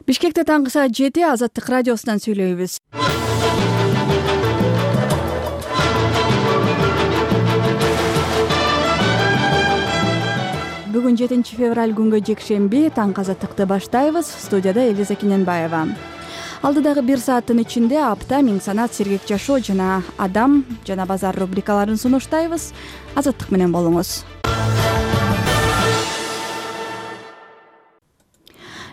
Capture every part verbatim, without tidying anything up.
Бишкекте таңкы саат жети Азаттык радиосунан сүйлөйбүз. Бүгүн жетинчи февраль күнгө жекшемби, таңкы Азаттыкты баштайбыз. Студияда Элиза Кененбаева. Алдыдагы бир сааттын ичинде апта, миң санат, сергек жашоо жана адам жана базар рубрикаларын сунуштайбыз. Азаттык менен болуңуз.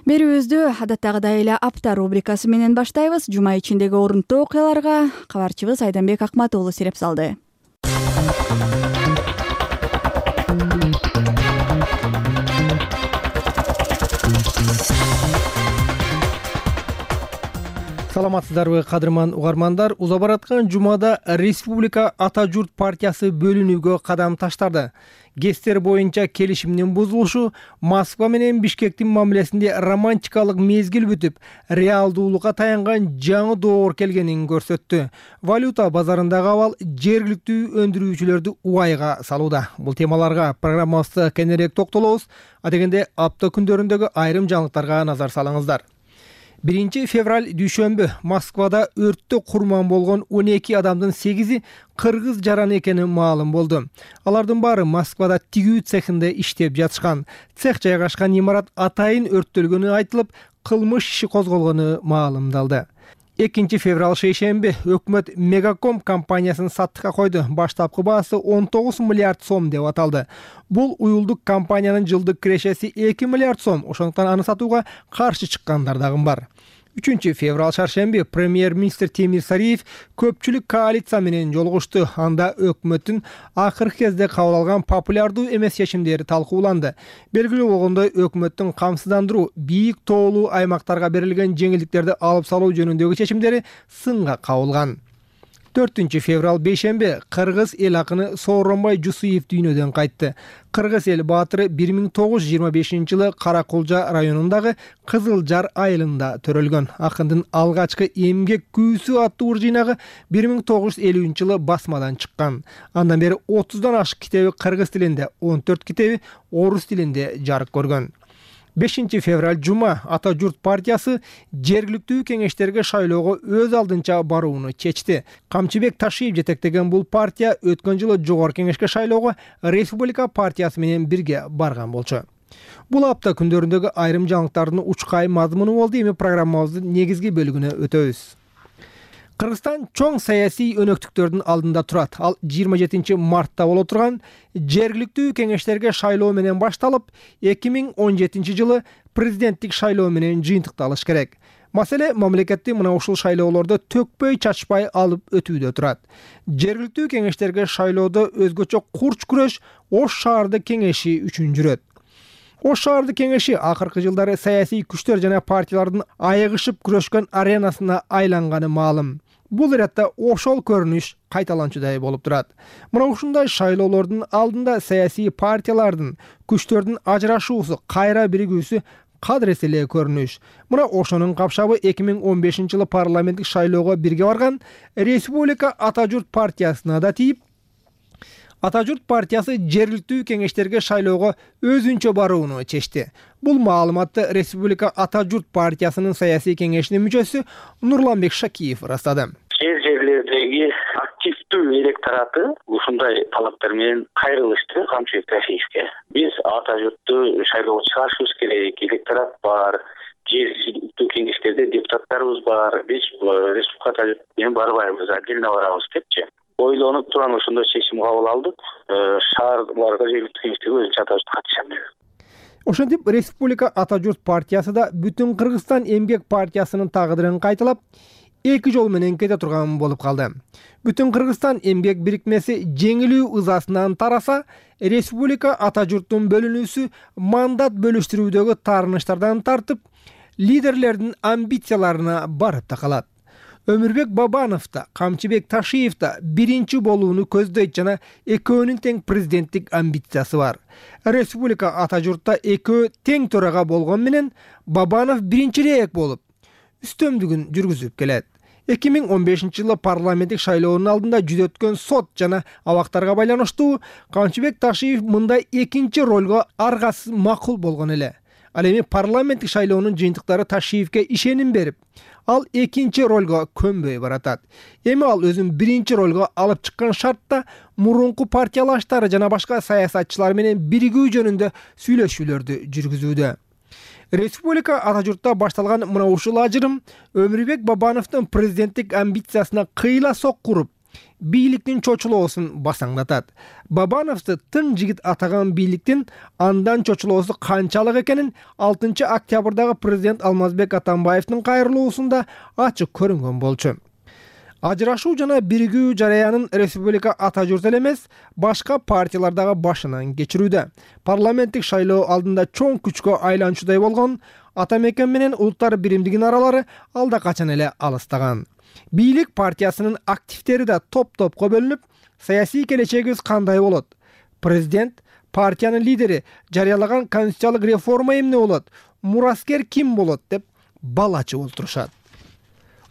Берүүбүздү адаттагыдай эле апта рубрикасы менен баштайбыз. Жума ичиндеги орунтуу окуяларга кабарчыбыз Айданбек Акматуулу сиреп салды. Саламатсыздарбы, кадырман угармандар. Уза бараткан жумада Республика Ата журт партиясы бөлүнүүгө кадам таштады. Гестер боюнча келишимдин бузулушу Москва менен Бишкектин мамилесинде романтикалык мезгил бүтүп, реалдуулукка таянган жаңы доор келгенин көрсөттү. Валюта базарындагы абал жергиликтүү өндүрүүчүлөрдү убайга салууда. Бул темаларга программабызда кененирээк токтолобуз. Адегенде апта күндөрүндөгү айрым жаңылыктарга назар салыңыздар. биринчи февраль дүйшөмбү Москвада өрттө курман болгон он эки адамдын сегизи кыргыз жараны экени маалым болду. Алардын баары Москвада тигүү цехинде иштеп жатышкан. Цех жайгашкан имарат атайын өрттөлгөнү айтылып, кылмыш иши козголгону маалымдалды. экинчи февраль шейшемби өкмөт Мегаком компаниясын саттыкка койду. Баштапкы баасы он тогуз миллиард сом деп аталды. Бул уюлдук компаниянын жылдык кирешеси эки миллиард сом. Ошондуктан аны сатууга каршы чыккандар дагы бар. үчүнчү февраль шаршемби премьер-министр Темир Сариев көпчүлүк коалиция менен жолугушту. Анда өкмөттүн акыркы кезде кабыл алган популярдуу эмес чечимдери талкууланды. Белгилүү болгондой, өкмөттүн камсыздандыруу, бийик тоолуу аймактарга берилген жеңилдиктерди алып салуу жөнүндөгү чечимдери сынга кабылган. төртүнчү февраль бейшемби кыргыз эл акыны Сооронбай Жусуев дүйнөдөн кайтты. Кыргыз эл баатыры бир миң тогуз жүз жыйырма бешинчи жылы Каракулжа районундагы Кызыл Жар айылында төрөлгөн. Акындын алгачкы эмгек күүсү аттуу жыйнагы бир миң тогуз жүз элүүнчү жылы басмадан чыккан. Андан бери отуздан ашык китеби кыргыз тилинде, он төрт китеби орус тилинде жарык көргөн. бешинчи февраль жума Ата журт партиясы жергиликтүү кеңештерге шайлоого өз алдынча барууну чечти. Камчыбек Ташиев жетектеген бул партия өткөн жылы жогорку кеңешке шайлоого Республика партиясы менен бирге барган болчу. Бул апта күндөрүндөгү айрым жаңылыктардын учкай мазмуну болду. Эми программабыздын негизги бөлүгүнө өтөбүз. Кыргызстан чоң саясий өнөктүктөрдүн алдында турат. Ал жыйырма жетинчи мартта боло турган жергиликтүү кеңештерге шайлоо менен башталып, эки миң он жетинчи жылы президенттик шайлоо менен жыйынтыкталыш керек. Маселе мамлекетти мына ушул шайлоолордо төкпөй чачпай алып өтүүдө турат. Жергиликтүү кеңештерге шайлоодо өзгөчө курч күрөш Ош шаардык кеңеши үчүн жүрөт. Ош шаардык кеңеши акыркы жылдары саясий күчтөр жана партиялардын айыгышып күрөшкөн аренасына айланганы маалым. Бул иретте ошол көрүнүш кайталанчудай болуп турат. Мына ушундай шайлоолордун алдында саясий партиялардын күчтөрдүн ажырашуусу, кайра биригүүсү кадырес эле көрүнүш. Мына ошонун капшабы эки миң он бешинчи жылы парламенттик шайлоого бирге барган Республика Ата журт партиясына да тийип, Ата журт партиясы жергиликтүү кеңештерге шайлоого өзүнчө барууну чечти. Бул маалыматты Республика Ата журт партиясынын саясий кеңешинин мүчөсү Нурланбек Шакиев ырастады. Жер жерлердеги активдүү электораты ушундай талаптар менен кайрылышты Камчыбек Ташиевке. Биз Ата журтту шайлоого чыгарышыбыз керек, электорат бар, жергиликтүү кеңештерде депутаттарыбыз бар, биз Республика Ата журт менен барбайбыз, отдельно барабыз депчи. Ойлонуп туран ошондой чечим кабыл алдык. Шаарларга жергиликтүү кеңештерге өзүнчө Ата журт катышам деп. Ошентип Республика Ата журт партиясы да бүтүн Кыргызстан эмгек партиясынын тагдырын кайталап, эки жол менен кете турган болуп калды. Бүтүн Кыргызстан эмгек бирикмеси жеңилүү ызасынан тараса, Республика Ата журттун бөлүнүүсү мандат бөлүштүрүүдөгү таарыныштардан тартып, лидерлердин амбицияларына барып такалат. Өмүрбек Бабанов да, Камчыбек Ташиев да биринчи болууну көздөйт жана экөөнүн тең президенттик амбициясы бар. Республика Ата журтта экөө тең төрага болгон менен Бабанов биринчирээк болуп, үстөмдүгүн жүргүзүп келет. эки миң он бешинчи жылы парламенттик шайлоонун алдында жүз өткөн сот жана абактарга байланыштуу Камчыбек Ташиев мындай экинчи ролго аргасыз макул болгон эле. Ал эми парламенттик шайлоонун жыйынтыктары Ташиевке ишеним берип, ал экинчи ролго көнбөй баратат. Эми ал өзүн биринчи ролго алып чыккан шартта мурунку партиялаштары жана башка саясатчылар менен биригүү жөнүндө сүйлөшүүлөрдү жүргүзүүдө. Республика ата журтта башталган мына ушул ажырым Өмүрбек Бабановдун президенттик амбициясына кыйла соккуруп, бийликтин чочулоосун басаңдатат. Бабановду тың жигит атаган бийликтин андан чочулоосу канчалык экенин алтынчы октябрдагы президент Алмазбек Атамбаевдин кайрылуусунда ачык көрүнгөн болчу. Ажырашуу жана биригүү жараянын республика ата журт эле эмес, башка партиялар дагы башынан кечирүүдө. Парламенттик шайлоо алдында чоң күчкө айланчудай болгон Ата Мекен менен Улуттар биримдигинин аралары алда качан эле алыстаган. Бийлик партиясынын активдери да топ-топко бөлүнүп, саясий келечегибиз кандай болот? Президент, партиянын лидери жарыялаган конституциялык реформа эмне болот? Мураскер ким болот деп балачы олтурушат.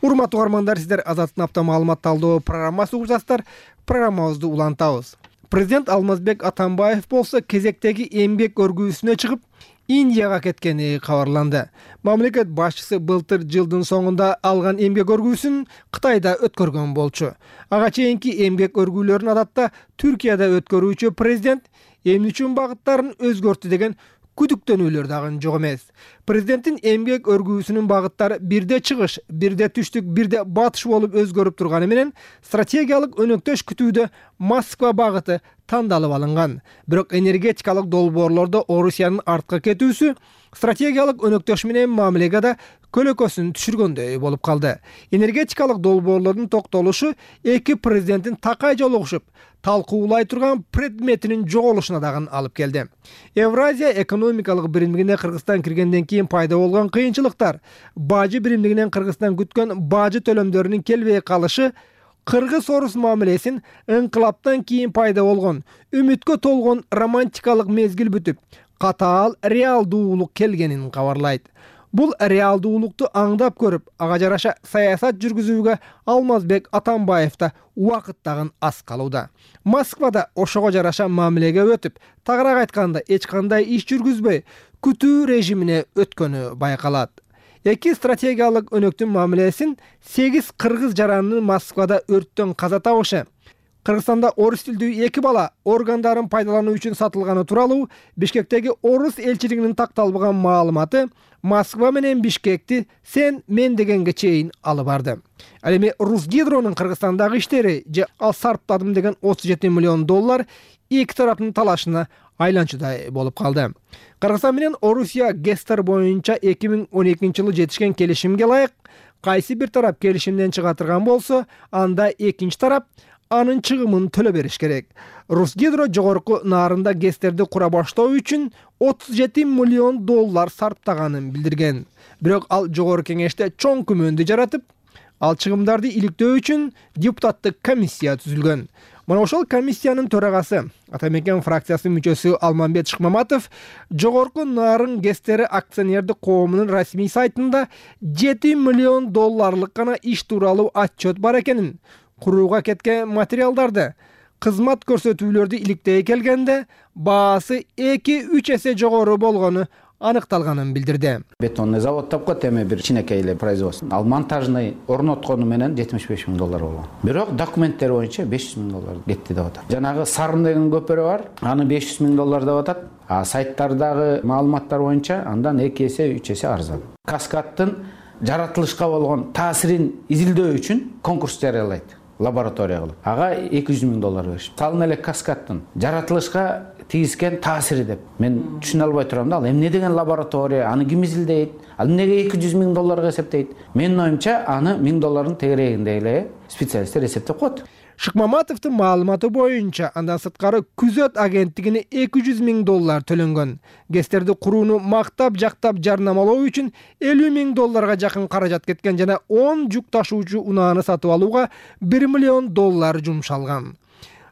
Урматтуу угармандар, сиздер Азаттын апта маалымат талдоо программасы угуп жатсыздар. Программабызды улантабыз. Президент Алмазбек Атамбаев болсо кезектеги эмгек өргүүсүнө чыгып, Индияга кеткени кабарланды. Мамлекет башчысы былтыр жылдын соңунда алган эмгек өргүүсүн Кытайда өткөргөн болчу. Ага чейинки эмгек өргүүлөрүн адатта Түркияда өткөрүүчү президент эмне үчүн багыттарын өзгөрттү деген күдүктөнүүлөр дагы жок эмес. Президенттин эмгек өргүүсүнүн багыттары бирде чыгыш, бирде түштүк, бирде батыш болуп өзгөрүп турганы менен стратегиялык өнөктөш күтүүдө Москва багыты тандалып алынган. Бирок энергетикалык долбоорлордо Орусиянын артка кетүүсү стратегиялык өнөктөш менен мамилеге көлөкөсүн түшүргөндөй болуп калды. Энергетикалык долбоорлордун токтолушу эки президенттин такай жолугушуп, талкуулай турган предметинин жоголушуна дагы алып келди. Евразия экономикалык биримдигине Кыргызстан киргенден кийин пайда болгон кыйынчылыктар, бажы биримдигинен Кыргызстан күткөн бажы төлөмдөрүнүн келбей калышы, Кыргыз-орус мамилесин ыңкылаптан кийин пайда болгон, үмүткө толгон романтикалык мезгил бүтүп, катаал реалдуулук келгенин кабарлайт. Бул реалдуулукту аңдап көрүп, ага жараша саясат жүргүзүүгө Алмазбек Атамбаев да убакыт дагы аз калууда. Москвада ошого жараша мамилеге өтүп, тагыраак айтканда эч кандай иш жүргүзбөй, күтүү режимине өткөнү байкалат. Эки стратегиялык өнөктүн мамилесин сегиз кыргыз жаранынын Москвада өрттөн каза табышы, Кыргызстанда орус тилдүү эки бала органдарын пайдалануу үчүн сатылганы тууралуу Бишкектеги орус элчилигинин такталбаган маалыматы Москва менен Бишкекти сен мен дегенге чейин алып барды. Ал эми Русгидронун Кыргызстандагы иштери же ал сарптадым деген отуз жети миллион доллар эки тараптын талашына айланчудай болуп калды. Кыргызстан менен Орусия ГЭСтер боюнча эки миң он экинчи жылы жетишкен келишимге ылайык, кайсы бир тарап келишимден чыга турган болсо, анда экинчи тарап анын чыгымын төлө бериш керек. Русгидро жогорку нарында ГЭСтерди кура баштоо үчүн отуз жети миллион доллар сарптаганын билдирген. Бирок ал жогорку кеңеште чоң күмөндү жаратып, ал чыгымдарды иликтөө үчүн депутаттык комиссия түзүлгөн. Мына ошол комиссиянын төрагасы, Ата Мекен фракциясынын мүчөсү Алмамбет Шыкмаматов жогорку нарын ГЭСтери акционердик коомунун расмий сайтында жети миллион долларлык гана иш тууралуу отчет бар экенин, курууга кеткен материалдарды, кызмат көрсөтүүлөрдү иликтей келгенде баасы эки үч эсе жогору болгону аныкталганын билдирди. Бетонный завод тапкат, эми бир кичинекей эле производство. Ал монтажный орноткону менен жетимиш беш миң доллар болгон. Бирок документтер боюнча беш жүз миң доллар кетти деп атат. Жанагы Сарын деген көпөрө бар, аны беш жүз миң доллар деп атат. А сайттардагы маалыматтар боюнча андан эки эсе, үч эсе арзан. Каскадтын жаратылышка болгон таасирин изилдөө үчүн конкурс жарыялайт. Лаборатория кылып. Ага эки жүз миң доллар беришти. Салын эле Каскадтын жаратылышка тийгизген таасири деп. Мен түшүнө албай турам да, ал эмне деген лаборатория, аны ким изилдейт? Ал эмнеге эки жүз миң долларга эсептейт? Менин оюмча, аны миң доллардын тегерегинде эле специалисттер эсептеп коет. Шыкмаматовдун маалыматы боюнча, андан сырткары күзөт агенттигине эки жүз миң доллар төлөнгөн. ГЭСтерди курууну мактап, жактап жарнамалоо үчүн элүү миң долларга жакын каражат кеткен жана он жүк ташуучу унааны сатып алууга бир миллион доллар жумшалган.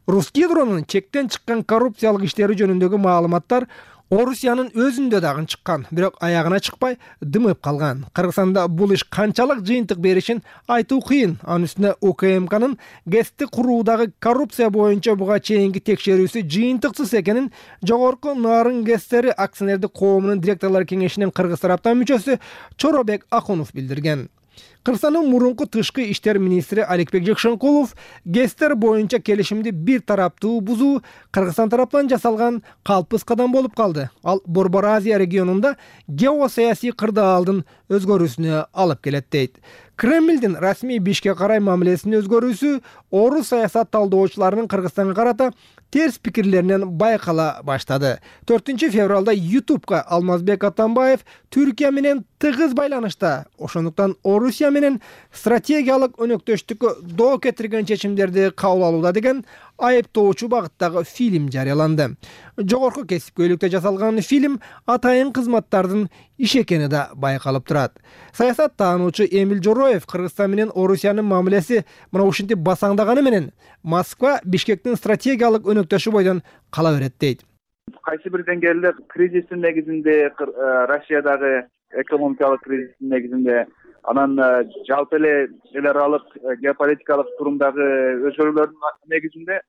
Русгидронун чектен чыккан коррупциялык иштери жөнүндөгү маалыматтар Орусиянын өзүндө дагы чыккан, бирок аягына чыкпай дымып калган. Кыргызстанда бул иш канчалык жыйынтык беришин айтуу кыйын. Анын үстүнө УКМКнын ГЭСти куруудагы коррупция боюнча буга чейинки текшерүүсү жыйынтыксыз экенин Жогорку Нарын ГЭСтери акционердик коомунун директорлор кеңешинин кыргыз тараптан мүчөсү Чоробек Акунов билдирген. Кыргызстандын мурунку тышкы иштер министри Аликбек Жекшенкулов ГЭСтер боюнча келишимди бир тараптуу бузуу Кыргызстан тараптан жасалган калпыс кадам болуп калды. Ал Борбор Азия регионунда геосаясий кырдаалдын өзгөрүүсүнө алып келет дейт. Кремлдин расмий Бишкек карай мамилесинин өзгөрүүсү орус саясат талдоочуларынын Кыргызстанга карата терс пикирлеринен байкала баштады. төртүнчү февралда ютубка Алмазбек Атамбаев Түркия менен тыгыз байланышта, ошондуктан Орусия менен стратегиялык өнөктөштүккө доо кетирген чечимдерди кабыл алууда деген айыптоочу багыттагы фильм жарыяланды. Жогорку кесипкөйлүктө жасалган фильм атайын кызматтардын иш экени да байкалып турат. Саясат таануучу Эмиль Жороев Кыргызстан менен Орусиянын мамилеси мына ушинтип басаңдаганы менен Москва Бишкектин стратегиялык өнөктөшү бойдон кала берет дейт. Кайсы бир деңгээлде кризистин негизинде, Россиядагы экономикалык кризистин негизинде, анан жалпы эле эл аралык геополитикалык турумдагы өзгөрүүлөрдүн негизинде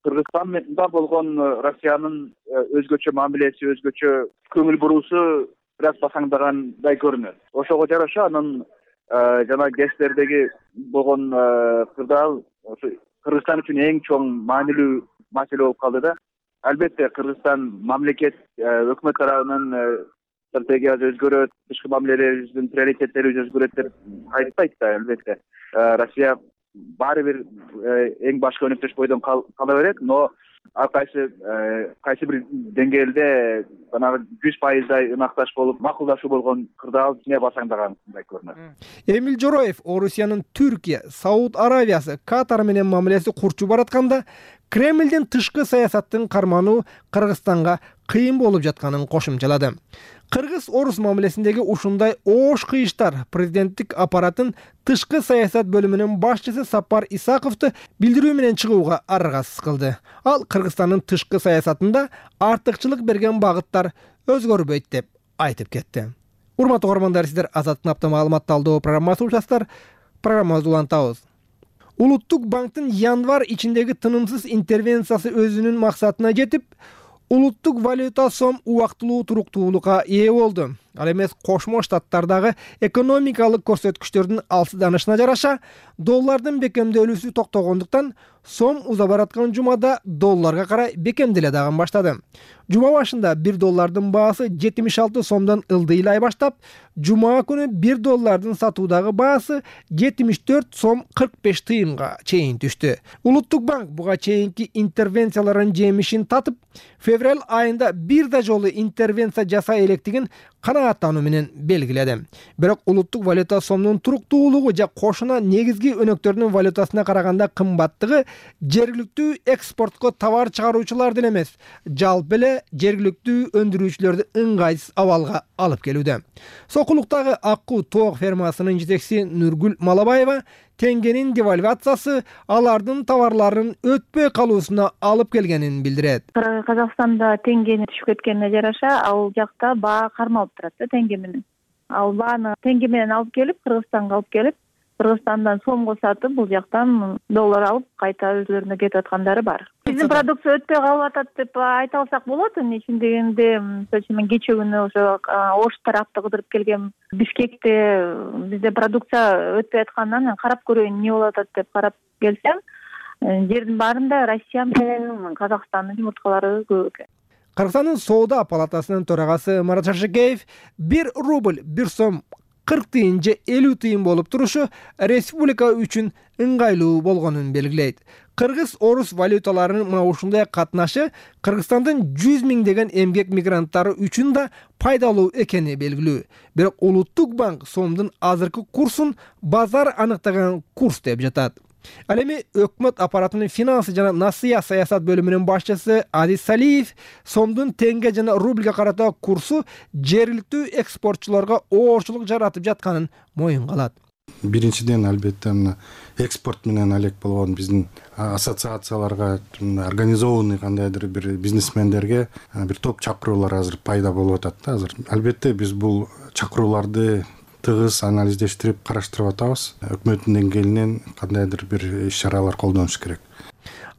Кыргызстанда болгон Россиянын өзгөчө мамилеси, өзгөчө көңүл буруусу бир аз басаңдагандай көрүнөт. Ошого жараша анын жана ГЭСтердеги болгон кырдаал Кыргызстан үчүн эң чоң маанилүү маселе болуп калды да. Албетте Кыргызстан мамлекет өкмөт тарабынан стратегиясы өзгөрөт, тышкы мамилелерибиздин приоритеттерибиз өзгөрөт деп айтпайт да, албетте. Россия баары бир эң башкы өнөктөш бойдон кала берет, но ар кайсы кайсы бир деңгээлде жанагы жүз пайыздай ынакташ болуп, макулдашуу болгон кырдаал ичине басаңдагандай көрүнөт. Эмиль Жороев Орусиянын Түркия, Сауд Аравиясы, Катар менен мамилеси курчу баратканда Кремлдин тышкы саясаттын кармануу Кыргызстанга кыйын болуп жатканын кошумчалады. Кыргыз-орус мамилесиндеги ушундай оош кыйыштар президенттик аппараттын тышкы саясат бөлүмүнүн башчысы Сапар Исаковду билдирүү менен чыгууга аргасыз кылды. Ал Кыргызстандын тышкы саясатында артыкчылык берген багыттар өзгөрбөйт деп айтып кетти. Урматтуу угармандар, сиздер Азаттык апта маалымат талдоо программасын угасыздар. Программабызды улантабыз. Улуттук банктын январь ичиндеги тынымсыз интервенциясы өзүнүн максатына жетип, улуттук валюта сом убактылуу туруктуулукка ээ болду. Ал эмес Кошмо Штаттардагы экономикалык көрсөткүчтөрдүн алсызданышына жараша доллардын бекемделүүсү токтогондуктан сом уза бараткан жумада долларга карай бекемделе дагы баштады. Жума башында бир доллардын баасы жетимиш алты сомдон ылдыйлай баштап, жума күнү бир доллардын сатуудагы баасы жетимиш төрт сом кырк беш тыйынга чейин түштү. Улуттук банк буга чейинки интервенциялардын жемишин татып, февраль айында бир да жолу интервенция жасай электигин канааттануу менен белгиледи. Бирок улуттук валюта сомдун туруктуулугу же кошуна негизги өнөктөрдүн валютасына караганда кымбаттыгы жергиликтүү экспортко товар чыгаруучулардын эмес, жалпы эле жергиликтүү өндүрүүчүлөрдү ыңгайсыз абалга алып келүүдө. Сокулуктагы Аккуу тоок фермасынын жетекчиси Нургүл Малабаева теңгенин девальвациясы алардын товарларын өтпөй калуусуна алып келгенин билдирет. Казакстанда теңгени түшүп кеткенине жараша, ал жакта баа кармалып турат да теңге менен. Ал бааны теңге менен алып келип, Кыргызстанга алып келип, Кыргызстандан сомго сатып, бул жактан доллар алып, кайта өзлөрүнө кетип аткандары бар. Биздин продукция өтпөй калып атат деп айта алсак болот. Эми дегенде, мен кече күнү ошо Ош тарапты кыдырып келгем. Бишкекте бизде продукция өтпөй аткандан карап көрөйүн эмне болуп атат деп карап келсем, жердин баарында Россия менен Казакстандын жумурткалары көп экен. Кыргызстандын соода палатасынын төрагасы Марат Шашекеев бир рубль бир сом кырк тыйын же элүү тыйын болуп турушу республика үчүн ыңгайлуу болгонун белгилейт. Кыргыз-орус валюталарынын мына ушундай катнашы Кыргызстандын жүз миңдеген эмгек мигранттары үчүн да пайдалуу экени белгилүү. Бирок улуттук банк сомдун азыркы курсун базар аныктаган курс деп жатат. Ал эми өкмөт аппаратынын финансы жана насыя саясат бөлүмүнүн башчысы Азиз Салиев сомдун теңге жана рубльга карата курсу жергиликтүү экспортчуларга оорчулук жаратып жатканын моюнга алат. Биринчиден албетте мына экспорт менен алек болгон биздин ассоциацияларга организованный кандайдыр бир бизнесмендерге бир топ чакыруулар азыр пайда болуп атат да азыр. Албетте биз бул чакырууларды тыгыз анализдештирип караштырып атабыз. Өкмөттүн деңгээлинен кандайдыр бир иш-чаралар колдонуш керек.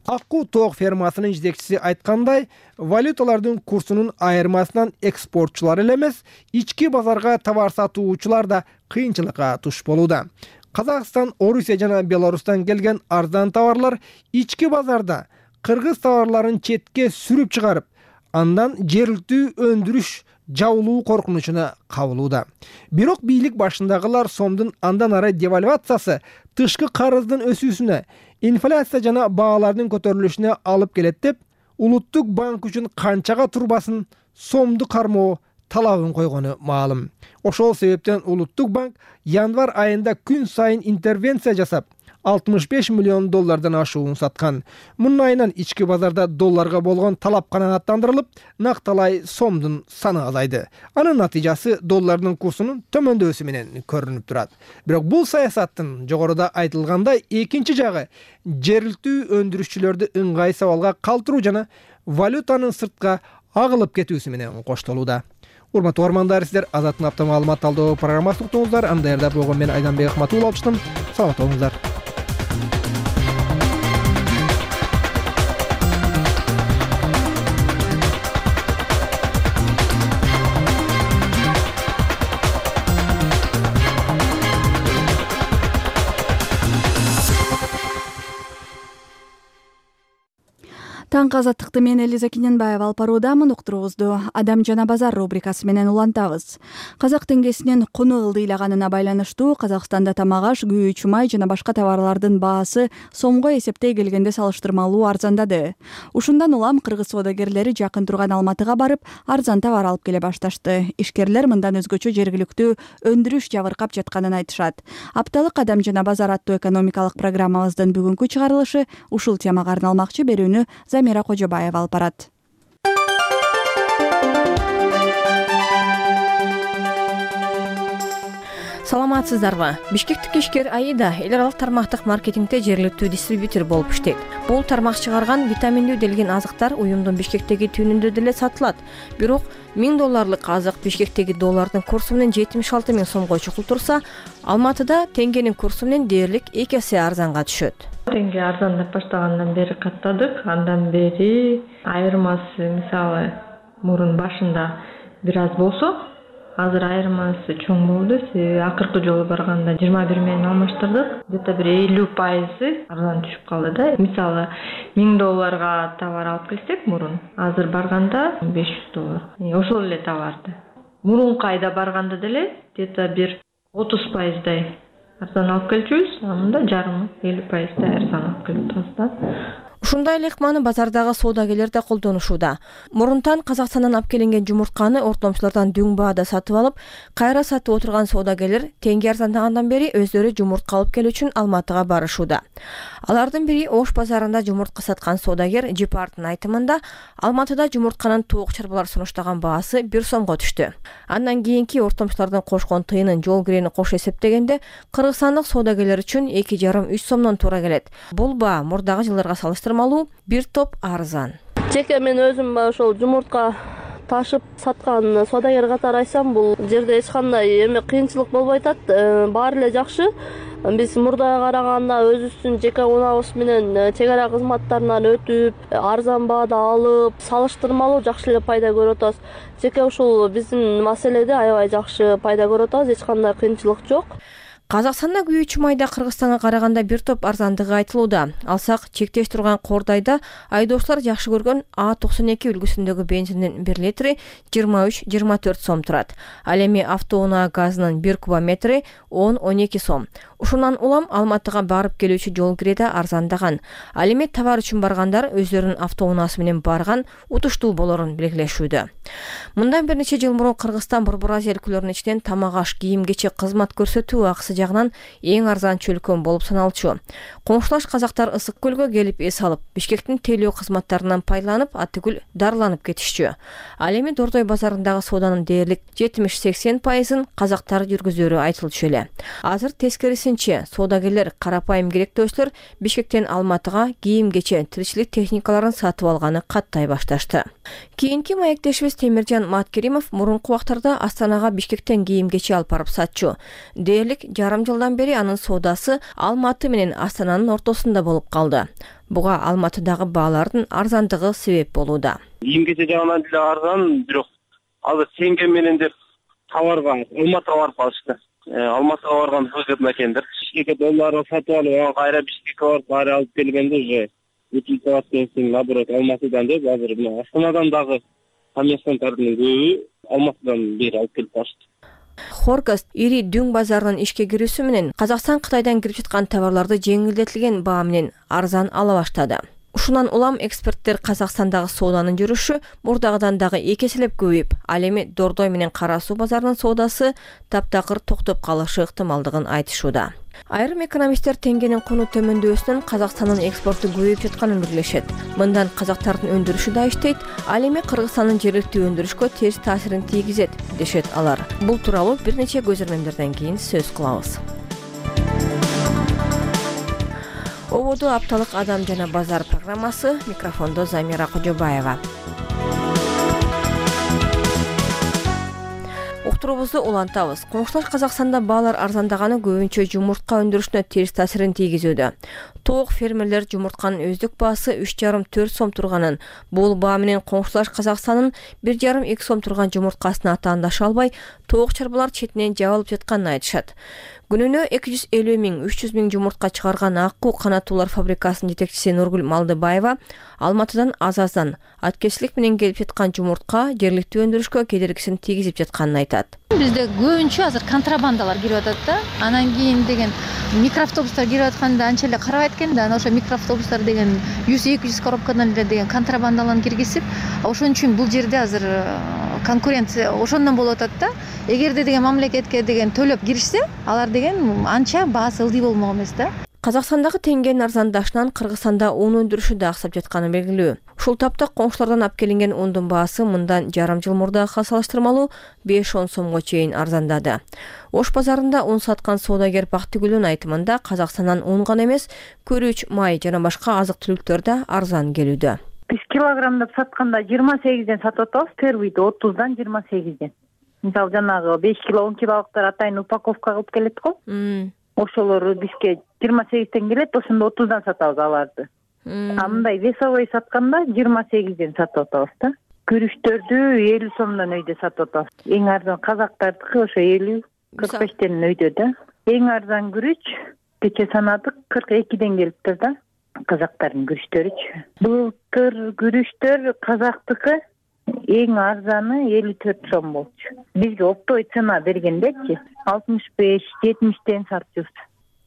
Акку тоок фермасынын жетекчиси айткандай, валюталардын курсунун айырмасынан экспортчулар эле эмес, ички базарга товар сатуучулар да кыйынчылыкка туш болууда. Казакстан, Орусия жана Беларустан келген арзан товарлар ички базарда кыргыз товарларын четке сүрүп чыгарып, андан жергиликтүү өндүрүш жабылуу коркунучуна кабылууда. Бирок бийлик башындагылар сомдун андан ары девальвациясы тышкы карыздын өсүүсүнө, инфляция жана баалардын көтөрүлүшүнө алып келет деп, улуттук банк үчүн канчага турбасын сомду кармоо талабын койгону маалым. Ошол себептен улуттук банк январь айында күн сайын интервенция жасап, алтымыш беш миллион доллардан ашуун саткан. Мунун айынан ички базарда долларга болгон талап канааттандырылып, накталай сомдун саны азайды. Анын натыйжасы доллардын курсунун төмөндөсү менен көрүнүп турат. Бирок бул саясаттын жогоруда айтылгандай экинчи жагы жергиликтүү өндүрүшчүлөрдү ыңгай сабалга калтыруу жана валютанын сыртка агылып кетүүсү менен коштолууда. Урматтуу угармандар, сиздер Азаттын апта маалымат талдоо программасын уктуңуздар. Аны даярдап болгон мен Айданбек Ахматуллов алыштым. Саламат болуңуздар. Таңкы азаттыкты мен Элиза Кененбаева алып баруудамын. Уктуруубузду Адам жана базар рубрикасы менен улантабыз. Казак теңгесинин куну ылдыйлаганына байланыштуу Казакстанда тамак аш, күйүүчү май жана башка товарлардын баасы сомго эсептей келгенде салыштырмалуу арзандады. Ушундан улам кыргыз соодагерлери жакын турган Алматыга барып, арзан товар алып келе башташты. Ишкерлер мындан өзгөчө жергиликтүү өндүрүш жабыркап жатканын айтышат. Апталык Адам жана базар аттуу экономикалык программабыздын бүгүнкү чыгарылышы ушул темага арналмакчы. Берүүнү Замира Кожобаева алып барат. Саламатсыздарбы? Бишкектик ишкер Аида эл аралык тармактык маркетингде жергиликтүү дистрибьютор болуп иштейт. Бул тармак чыгарган витаминдүү делген азыктар уюмдун Бишкектеги түйүнүндө деле сатылат. Бирок миң долларлык азык Бишкектеги доллардын курсу менен жетимиш алты миң сомго чукултурса, Алматыда теңгенин курсу менен дээрлик эки эсе арзанга түшөт. Теңге арзандап баштагандан бери каттадык. Андан бери айырмасы мисалы мурун башында бир аз болсо, азыр айырмасы чоң болду. Акыркы жолу барганда жыйырма бир менен алмаштырдык. Где-то бир элүү пайызы арзан түшүп калды да. Мисалы миң долларга товар алып келсек мурун, азыр барганда беш жүз доллар. Ошол эле товарды. Мурунку айда барганда деле где-то бир отуз пайыздай арзан алып келчүбүз, анда жарымы элүү пайыздай арзан алып келип атабыз да. Ушундай эле ыкманы базардагы соодагерлер да колдонушууда. Мурунтан Казакстандан алып келинген жумуртканы ортомчулардан дүң баада сатып алып, кайра сатып отырган соодагерлер теңге арзандагандан бери өздөрү жумуртка алып келүү үчүн Алматыга барышууда. Алардын бири Ош базарында жумуртка саткан соодагер Жипардын айтымында, Алматыда жумуртканын тоок чарбалар сунуштаган баасы бир сомго түштү. Андан кийинки ортомчулардын кошкон тыйынын жол кирени кошо эсептегенде, кыргызстандык соодагерлер үчүн эки жарым үч сомдон туура келет. Бул баа мурдагы жылдарга салыштырмалуу бир топ арзан. Жеке мен өзүм ошол жумуртка ташып саткан соодагер катары айтсам, бул жерде эч кандай эме кыйынчылык болбой атат. Баары эле жакшы. Биз мурдага караганда өзүбүздүн жеке унаабыз менен чек ара кызматтарынан өтүп, арзан баада алып, салыштырмалуу жакшы эле пайда көрүп атабыз. Жеке ушул биздин маселеде аябай жакшы пайда көрүп атабыз, эч кандай кыйынчылык жок. Казакстанда күйүүчү майда Кыргызстанга караганда бир топ арзандыгы айтылууда. Алсак, чектеш турган Кордайда айдоочулар жакшы көргөн А токсон эки үлгүсүндөгү бензиндин бир литри жыйырма үч жыйырма төрт сом турат. Ал эми автоунаа газынын бир кубометри он он эки сом. Ушундан улам Алматыга барып келүүчү жол киреде арзандаган. Ал эми товар үчүн баргандар өздөрүнүн автоунаасы менен барган утуштуу болорун белгилешүүдө. Мындан бир нече жыл мурун Кыргызстан Борбор Азия өлкөлөрүнүн ичинен тамак аш, кийим кечек, кызмат көрсөтүү акысы жагынан эң арзан чөлкөн болуп саналчу. Коңшулаш казактар ысык көлгө келип эс алып, Бишкектин тейлөө кызматтарынан пайдаланып, атыгүл дарыланып кетишчү. Ал эми Дордой базарындагы сооданын дээрлик жетимиш-сексен пайызын казактар жүргүзөрү айтылчу эле. Азыр тескерисинче, соодагерлер карапайым керектөөчүлөр Бишкектен Алматыга кийим-кече, тиричилик техникаларын сатып алганы каттай башташты. Кийинки маектешибиз Темиржан Маткеримов мурунку убактарда Астанага Бишкектен кийим-кече алып барып сатчу. Дээрлик жарым жылдан бери анын соодасы Алматы менен Астананын ортосунда болуп калды. Буга Алматыдагы баалардын арзандыгы себеп болууда. Кийим-кече жагынан деле арзан, бирок азыр теңге менен деп товарга Алматыга барып калышты. Алматыга барган көп мекендер. Бишкекке долларга сатып алып, кайра Бишкекке барып кайра алып келгенде уже утилизациялык лаборатория Алматыдан деп азыр мына Астанадан дагы коммерсанттардын көбү Алматыдан бери алып келип барышты. Хоргаст ири дүң базарынын ишке кирүүсү менен Казакстан Кытайдан кирип жаткан товарларды жеңилдетилген баа менен арзан ала баштады. Ушундан улам эксперттер Казакстандагы сооданын жүрүшү мурдагыдан дагы эки эселеп көбөйүп, ал эми Дордой менен Кара Суу базарынын соодасы таптакыр токтоп калышы ыктымалдыгын айтышууда. Айрым экономисттер теңгенин куну төмөндөбөсүнөн Казакстандын экспорту көбөйүп жатканын белгилешет. Мындан казактардын өндүрүшү да иштейт, ал эми Кыргызстандын жергиликтүү өндүрүшкө терс таасирин тийгизет, дешет алар. Бул тууралуу бир нече көзөрмөмдөрдөн кийин сөз кылабыз. Ободу апталык адам жана базар программасы, микрофондо Замира Кожобаева. Уктуруубузду улантабыз. Коңшулаш Казакстанда баалар арзандаганы көбүнчө жумуртка өндүрүшүнө терс таасирин тийгизүүдө. Тоок фермерлер жумуртканын өздүк баасы үч жарым төрт сом турганын, бул баа менен Коңшулаш Казакстандын бир жарым эки сом турган жумурткасына атаандаша албай, тоок чарбалар четинен жабылып жатканын айтышат. Күнүнө эки жүз элүү миң үч жүз миң жумуртка чыгарган Аккуу канаттуулар фабрикасынын жетекчиси Нургүл Малдыбаева Алматыдан аз-аздан аткечилик менен келип жаткан жумуртка жергиликтүү өндүрүшкө кедергисин тийгизип жатканын айтат. Бизде көбүнчө азыр контрабандалар кирип атат да. Анан кийин деген микроавтобустар кирип атканда анча эле карабайт экен да. Анан ошо микроавтобустар деген жүз эки жүз коробкадан эле деген контрабандаларын киргизип, ошон үчүн бул жерде азыр конкуренция ошондон болуп атат да. Эгерде деген мамлекетке деген төлөп киришсе, алар деген анча баасы ылдый болмок эмес да. Казакстандагы теңгенин арзандашынан Кыргызстанда ун өндүрүшү да аксап жатканы белгилүү. Ушул тапта коңшулардан алып келинген ундун баасы мындан жарым жыл мурдагыга салыштырмалуу беш он сомго чейин арзандады. Ош базарында ун саткан соодагер Бактыгүлдүн айтымында Казакстандан ун гана эмес, күрүч, май жана башка азык-түлүктөр да арзан келүүдө. Биз килограммдап сатканда жыйырма сегизден сатып атабыз, первыйды отуздан жыйырма сегизден. Мисалы жанагы беш кило он килолуктар атайын упаковка кылып келет го. Ошолор бизге жыйырма сегизден келет, ошондо отуздан сатабыз аларды. А мындай весовой сатканда жыйырма сегизден сатып атабыз да. Күрүчтөрдү элүү сомдон өйдө сатып атабыз. Эң арзан казактардыкы ошо элүү кырк бештен өйдө да. Эң арзан күрүч кече санадык кырк экиден келиптир да. Казактардын күрүчтөрүчү. Былтыр күрүчтөр казактыкы эң арзаны элүү төрт сом болчу. Бизге оптовый цена бергендечи алтымыш беш жетимиштен сатчубуз.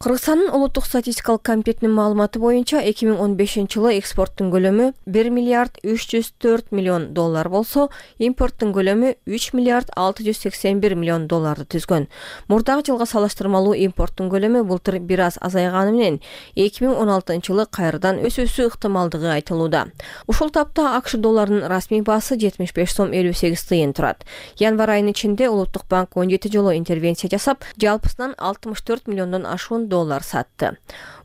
Кыргызстандын улуттук статистикалык комитетинин маалыматы боюнча эки миң он бешинчи жылы экспорттун көлөмү бир миллиард үч жүз төрт миллион доллар болсо, импорттун көлөмү үч миллиард алты жүз сексен бир миллион долларды түзгөн. Мурдагы жылга салыштырмалуу импорттун көлөмү былтыр бир аз азайганы менен эки миң он алтынчы жылы кайрадан өсүүсү ыктымалдыгы айтылууда. Ушул тапта АКШ долларынын расмий баасы жетимиш беш сом элүү сегиз тыйын турат. Январь айынын ичинде Улуттук банк он жети жолу интервенция жасап, жалпысынан алтымыш төрт миллиондон ашуун доллар сатты.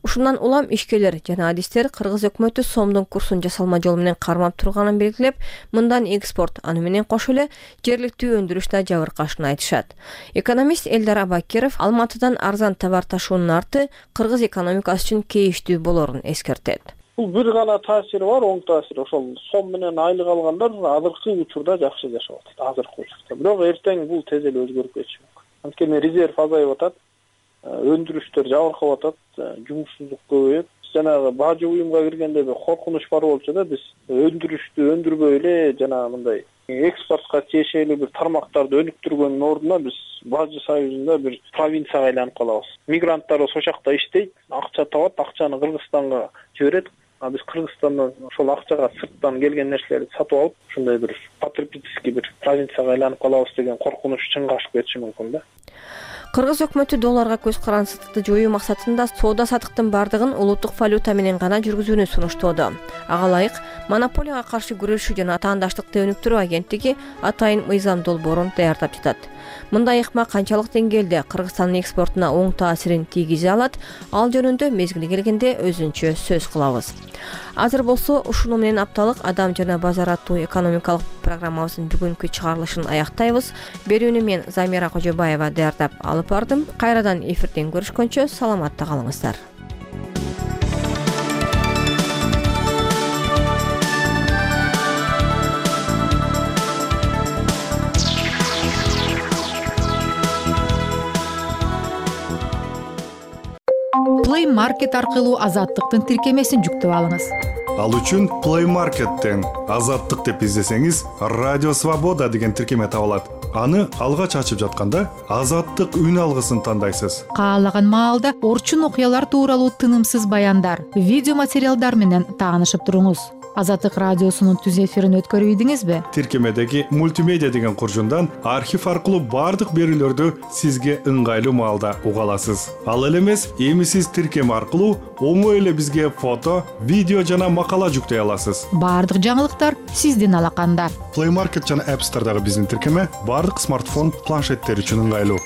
Ушундан улам ишкерлер жана адистер Кыргыз өкмөтү сомдун курсун жасалма жол менен кармап турганын белгилеп, мындан экспорт, аны менен кошо эле жергиликтүү өндүрүш да жабыркашын айтышат. Экономист Элдар Абакиров Алматыдан арзан товар ташуунун арты Кыргыз экономикасы үчүн кейиштүү болорун эскертет. Бул бир гана таасири бар, оң таасир. Ошол сом менен айлык алгандар азыркы учурда жакшы жашап атат, азыркы учурда. Бирок эртең бул тез эле өзгөрүп кетиши мүмкүн. Анткени резерв азайып атат, өндүрүштөр жабыркап атат, жумушсуздук көбөйөт. Жанагы бажы уюмга киргенде бир коркунуч бар болчу да, биз өндүрүштү өндүрбөй эле жанагы мындай экспортко тиешелүү бир тармактарды өнүктүргөндүн ордуна биз Бажы союзунда бир провинцияга айланып калабыз. Мигранттар ошол жакта иштейт, акча табат, акчаны Кыргызстанга жиберет. А биз Кыргызстандан ошол акчага сырттан келген нерселерди сатып алып, ушундай бир потребительский бир провинцияга айланып калабыз деген коркунуч чынга ашып кетиши мүмкүн да. Кыргыз өкмөтү долларга көз карансыздыкты жоюу максатында соода саттыктын бардыгын улуттук валюта менен гана жүргүзүүнү сунуштоодо. Ага ылайык монополияга каршы күрөшүү жана атаандаштыкты өнүктүрүү агенттиги атайын мыйзам долбоорун даярдап жатат. Мындай ыкма канчалык деңгээлде Кыргызстандын экспортуна оң таасирин тийгизе алат, ал жөнүндө мезгили келгенде өзүнчө сөз кылабыз. Азыр болсо ушуну менен апталык Адам жана базар аттуу экономикалык программабыздын бүгүнкү чыгарылышын аяктайбыз. Берүүнү мен Замира Кожобаева даярдап алып бардым. Кайрадан эфирден көрүшкөнчө саламатта калыңыздар. Play Market аркылуу азаттыктын тиркемесин жүктөп алыңыз. Ал үчүн Play Market'тен азаттык деп издесеңиз, Радио Свобода деген тиркеме табылат. Аны алгач ачып жатканда азаттык үн алгысын тандайсыз. Каалаган маалда орчун окуялар тууралуу тынымсыз баяндар, видео материалдар менен таанышып туруңуз. Азаттык радиосунун түз эфирин өткөрүп ийдиңизби? Тиркемедеги мультимедиа деген куржундан архив аркылуу бардык берүүлөрдү сизге ыңгайлуу маалда уга аласыз. Ал эле эмес, эми сиз тиркеме аркылуу оңой эле бизге фото, видео жана макала жүктөй аласыз. Бардык жаңылыктар сиздин алаканда. Play Market жана App Store'дагы биздин тиркеме бардык смартфон, планшеттер үчүн ыңгайлуу.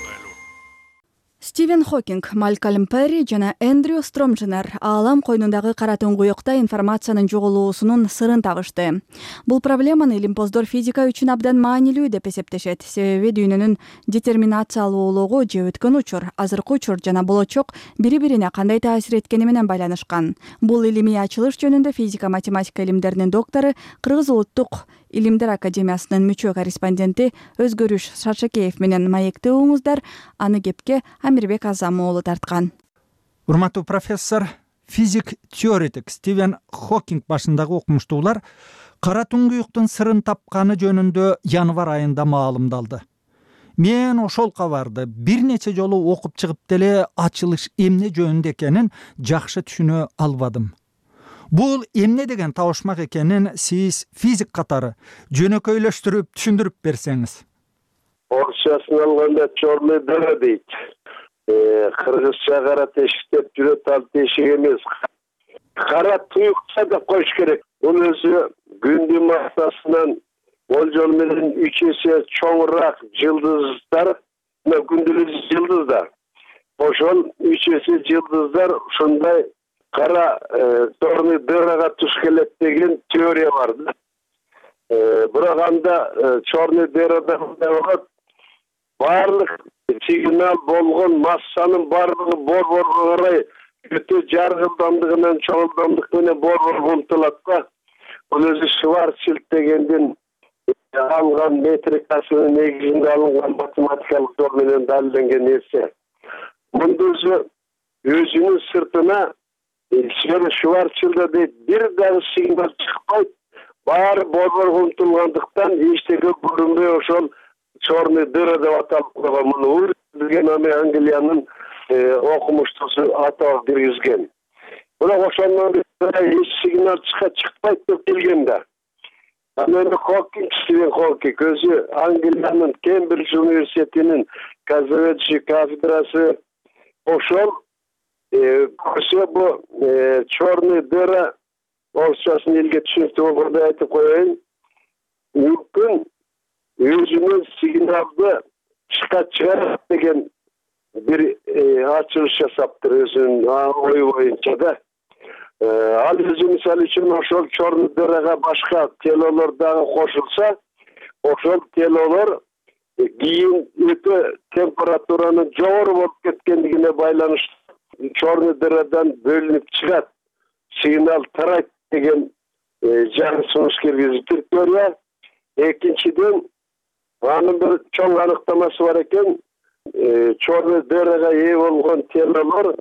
Стивен Хокинг, Малкольм Перри жана Эндрю Стромженер аалам койнундагы кара туңгуюкта информациянын жоголуусунун сырын табышты. Бул проблеманы илимпоздор физика үчүн абдан маанилүү деп эсептешет. Себеби дүйнөнүн детерминациялуулугу же өткөн учур, азыркы учур жана болочок бири-бирине кандай таасир эткени менен байланышкан. Бул илимий ачылыш жөнүндө физика математика илимдеринин доктору, Кыргыз улуттук Илимдер академиясынын мүчө корреспонденти Өзгөрүш Шаршакеев менен маекте уңуздар. Аны кепке Амирбек Азам уулу тарткан. Урматтуу профессор, физик теоретик Стивен Хокинг башындагы окумуштуулар кара туңгуюктун сырын тапканы жөнүндө январь айында маалымдалды. Мен ошол кабарды бир нече жолу окуп чыгып деле ачылыш эмне жөнүндө экенин жакшы түшүнө албадым. Бул эмне деген табышмак экенин сиз физик катары жөнөкөйлөштүрүп түшүндүрүп берсеңиз. Орусчасын алганда черный дыра дейт. Кыргызча кара тешик деп жүрөт, ал тешик эмес. Кара туюкча деп коюш керек. Бул өзү күндүн массасынан болжол менен үч эсе чоңураак жылдыздар, күндүлүк жылдыздар. Ошол үч эсе жылдыздар ушундай кара черный дырага туш келет деген теория бар да. Бирок анда черный дырада болот, баардык сигнал болгон массанын баардыгы борборго карай өтө жаргылдамдыгынан чоңулдамдык менен борборго умтулат да. Бул өзү Шварцшильд дегендин алган метрикасынын негизинде алынган математикалык жол менен далилденген нерсе. Мунда өзү өзүнүн сыртына Шварцшильд дейт, бир дагы сигнал чыкпайт, баары борборго умтулгандыктан эчтеке көрүнбөй ошол черный дыра деп аталып койгон. Муну билген Англиянын окумуштуусу атап бергизген. Бирок ошондон эч сигнал чыкпайт деп келген да. Анан Хокинг, Стивен Хокинг өзү Англиянын Кембридж университетинин казаведжи кафедрасы ошол көрсө бу черный дыра орусчасын элге түшүнүктүү болгондой айтып коеюн. Мүмкүн өзүнүн сигналды чыгарат деген бир ачылыш жасаптыр өзүнүн ою боюнча да. Ал өзү мисалы үчүн ошол черный дырага башка телолор дагы кошулса, ошол телолор кийин өтө температуранын жогору болуп кеткендигине байланыштуу черный дырадан бөлүнүп чыгат, сигнал тарайт деген жаңы сунуш киргизиптир теория. Экинчиден, анын бир чоң аныктамасы бар экен. Черный дырага ээ болгон телолор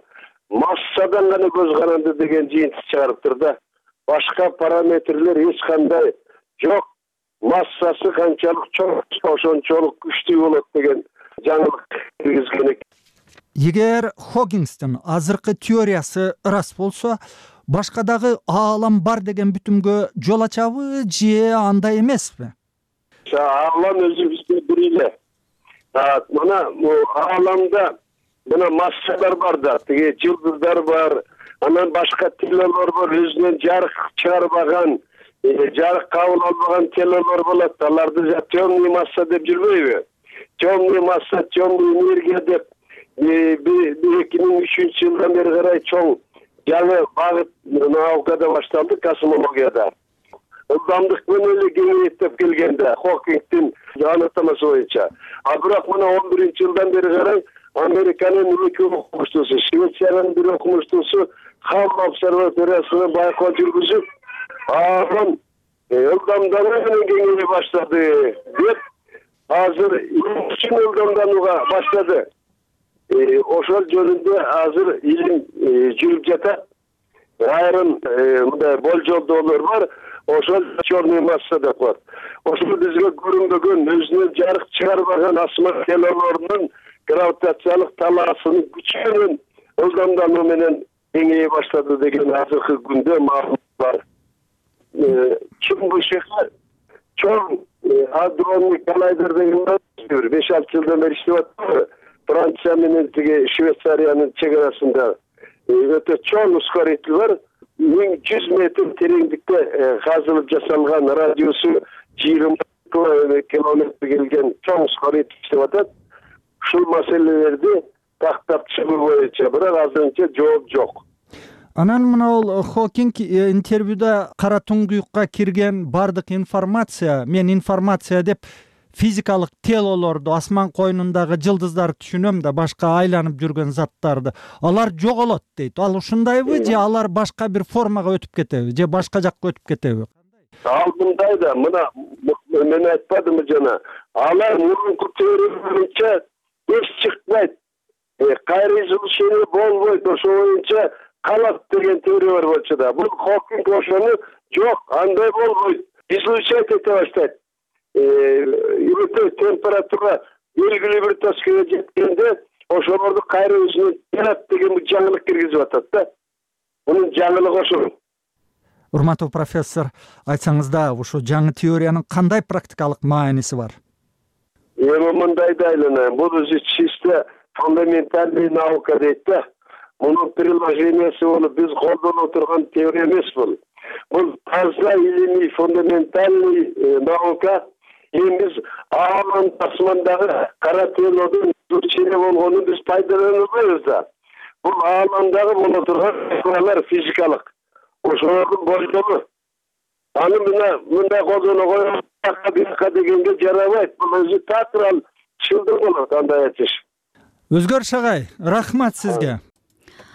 массадан гана көз каранды деген жыйынтык чыгарыптыр да. Башка параметрлер эч кандай жок. Массасы канчалык чоң, ошончолук күчтүү болот деген жаңылык киргизген экен. Эгер Хокингстин азыркы теориясы ырас болсо, башка дагы аалам бар деген бүтүмгө жол ачабы же андай эмеспи? Аалам өзү бизде бир эле. мына ааламда мына массалар бар да, тиги жылдыздар бар, анан башка телолор бар, өзүнөн жарык чыгарбаган, жарык кабыл албаган телолор болот. Аларды темный масса деп жүрбөйбү? Темный масса, темный энергия деп эки миң үчүнчү жылдан бери карай чоң жаңы багыт наукада башталды, космологияда. Ылдамдык менен эле кеңейет деп келгенде Хокингдин анықтамасы боюнча. А бирок мына он биринчи жылдан бери карай Американын эки окумуштуусу, Швециянын бир окумуштуусу Хаббл обсерваториясына байкоо жүргүзүп, анан ылдамдануу менен кеңейе баштады деп азыр үчүн ылдамданууга баштады. Ошол жөнүндө азыр илим жүрүп жатат. Айрым мындай болжолдоолор бар. Ошол черный масса деп коет. Ошол бизге көрүнбөгөн, өзүнөн жарык чыгарбаган асман телолорунун гравитациялык талаасынын күчү менен ылдамдануу менен кеңейе баштады деген азыркы күндө маалымат бар. Чын бышыгы чоң адронный коллайдер деген беш алты жылдан бери иштеп атат. Франция менен тиги Швейцариянын чек арасында өтө чоң ускоритель бар. миң жүз метр тереңдикте казылып жасалган, радиусу жыйырма километр келген чоң ускоритель иштеп атат. Ушул маселелерди тактап чыгуу боюнча бирок азырынча жооп жок. Анан мына Хокинг интервьюда кара туңгуюкка кирген бардык информация, мен информация деп физикалык телолорду, асман койнундагы жылдыздарды түшүнөм да, башка айланып жүргөн заттарды. Алар жоголот дейт. Ал ушундайбы же алар башка бир формага өтүп кетеби, же башка жакка өтүп кетеби? Ал мындай да, мына мен айтпадымбы жана, алар мурунку теория боюнча эч чыкпайт. Кайра излучение болбойт, ошо боюнча калат деген теория бар болчу да. Бул Хокинг ошону жок, андай болбойт. Излучать эте баштайт. Өтө температура белгилүү бир точкага жеткенде ошолорду кайра өзүнө жарат деген жаңылык киргизип атат да. Мунун жаңылыгы ошол. Урматтуу профессор, айтсаңыз да, ушу жаңы теориянын кандай практикалык мааниси бар? Эми мындай да айланайын. Бул өзү чисто фундаментальный наука дейт да. Мунун приложениясы болуп биз колдонуп турган теория эмес бул. Бул таза илимий фундаментальный наука. Эми биз ааман асмандагы кара телодун излучение болгонун биз пайдаланбайбыз да. Бул аамандагы боло турган факторлор физикалык. Ошолордун болжолу. Аны мына мындай колдоно коюп бирка дегенге жарабайт. Бул өзү театрал чылдыр болот андай айтыш. Өзгөр Шагай, рахмат сизге.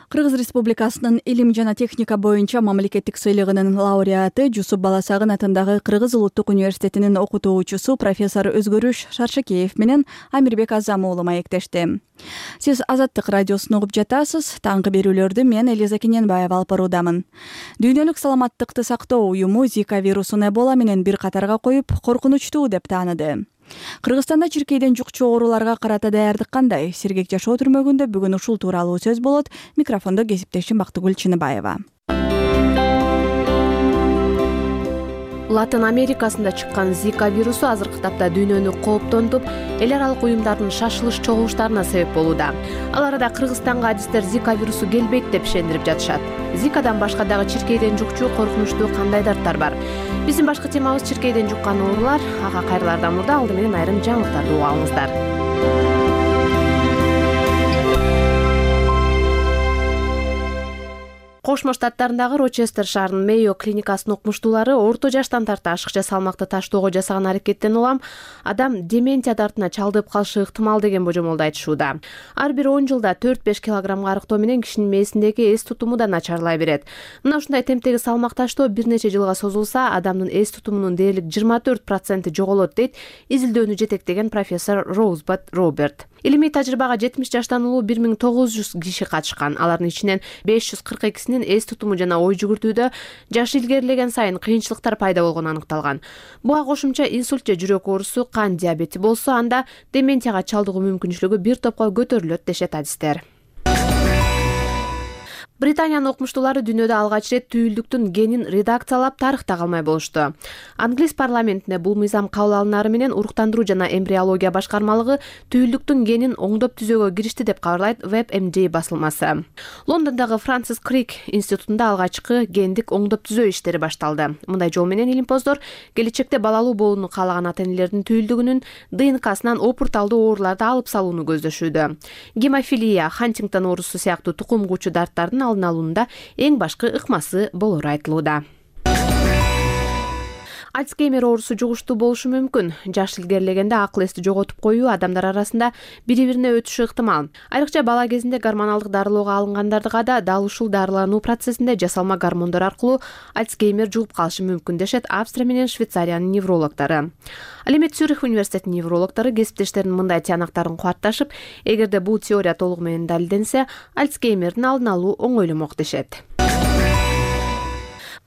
Кыргыз Республикасынын илим жана техника боюнча мамлекеттик сыйлыгынын лауреаты Жусуп Баласагын атындагы Кыргыз Улуттук университетинин окутуучусу профессор Өзгөрүш Шаршекеев менен Амирбек Азам уулу маектешти. Сиз Азаттык радиосун угуп жатасыз. Таңкы берүүлөрдү мен Элиза Кененбаева алып баруудамын. Дүйнөлүк саламаттыкты сактоо уюму Зика вирусун Эбола менен бир катарга коюп, коркунучтуу деп тааныды. Кыргызстанда чиркейден жукчу ооруларга карата даярдык кандай? Сергек жашоо түрмөгүндө бүгүн ушул тууралуу сөз болот. Микрофондо кесиптешим Бактыгүл Чыныбаева. Латын Америкасында чыккан Зика вирусу азыркы тапта дүйнөнү кооптонтуп, эл аралык уюмдардын шашылыш чогулуштарына себеп болууда. Ал арада Кыргызстанга адистер Зика вирусу келбейт деп ишендирип жатышат. Зикадан башка дагы чиркейден жукчу коркунучтуу кандай дарттар бар? Биздин башкы темабыз чиркейден жуккан оорулар. Ага кайрылардан мурда алды менен айрым жаңылыктарды угуп алыңыздар. Кошмо Штаттарындагы Рочестер шаарынын Мейо клиникасынын окумуштуулары орто жаштан тарта ашыкча салмакты таштоого жасаган аракеттен улам адам дементия дартына чалдыгып калышы ыктымал деген божомолду айтышууда. Ар бир он жылда төрт беш килограммга арыктоо менен кишинин мээсиндеги эс тутуму да начарлай берет. Мына ушундай темптеги салмак таштоо бир нече жылга созулса, адамдын эс тутумунун дээрлик жыйырма төрт проценти жоголот дейт изилдөөнү жетектеген профессор Роузбат Роберт. Илимий тажрыйбага жетимиш жаштан улуу бир миң тогуз жүз киши катышкан. Алардын ичинен беш жүз кырк экисинин эс тутуму жана ой жүгүртүүдө жаш илгерилеген сайын кыйынчылыктар пайда болгону аныкталган. Буга кошумча инсульт же жүрөк оорусу, кан диабети болсо, анда дементияга чалдыгуу мүмкүнчүлүгү бир топко көтөрүлөт дешет адистер. Британиянын окумуштуулары дүйнөдө алгач ирет түйүлдүктүн генин редакциялап тарыхта калмай болушту. Англис парламентинде бул мыйзам кабыл алынары менен уруктандыруу жана эмбриология башкармалыгы түйүлдүктүн генин оңдоп түзөөгө киришти деп кабарлайт WebMD басылмасы. Лондондогу Франсис Крик институтунда алгачкы гендик оңдоп түзөө иштери башталды. Мындай жол менен илимпоздор келечекте балалуу болууну каалаган ата-энелердин түйүлдүгүнүн ДНКсынан опурталдуу ооруларды алып салууну көздөшүүдө. Гемофилия, Хантингтон оорусу сыяктуу тукум куучу дарттардын алдын алуунда эң башкы ыкмасы болору айтылууда. Альцгеймер оорусу жугуштуу болушу мүмкүн. Жаш илгерилегенде акыл эсти жоготуп коюу адамдар арасында бири-бирине өтүшү ыктымал. Айрыкча бала кезинде гормоналдык дарылоого алынгандардыга да дал ушул дарылануу процессинде жасалма гормондор аркылуу Альцгеймер жугуп калышы мүмкүн дешет Австрия менен Швейцариянын неврологдору. Ал эми Цюрих университетинин неврологдору кесиптештеринин мындай тыянактарын кубатташып, эгерде бул теория толугу менен далилденсе, Альцгеймердин алдын алуу оңойломок дешет.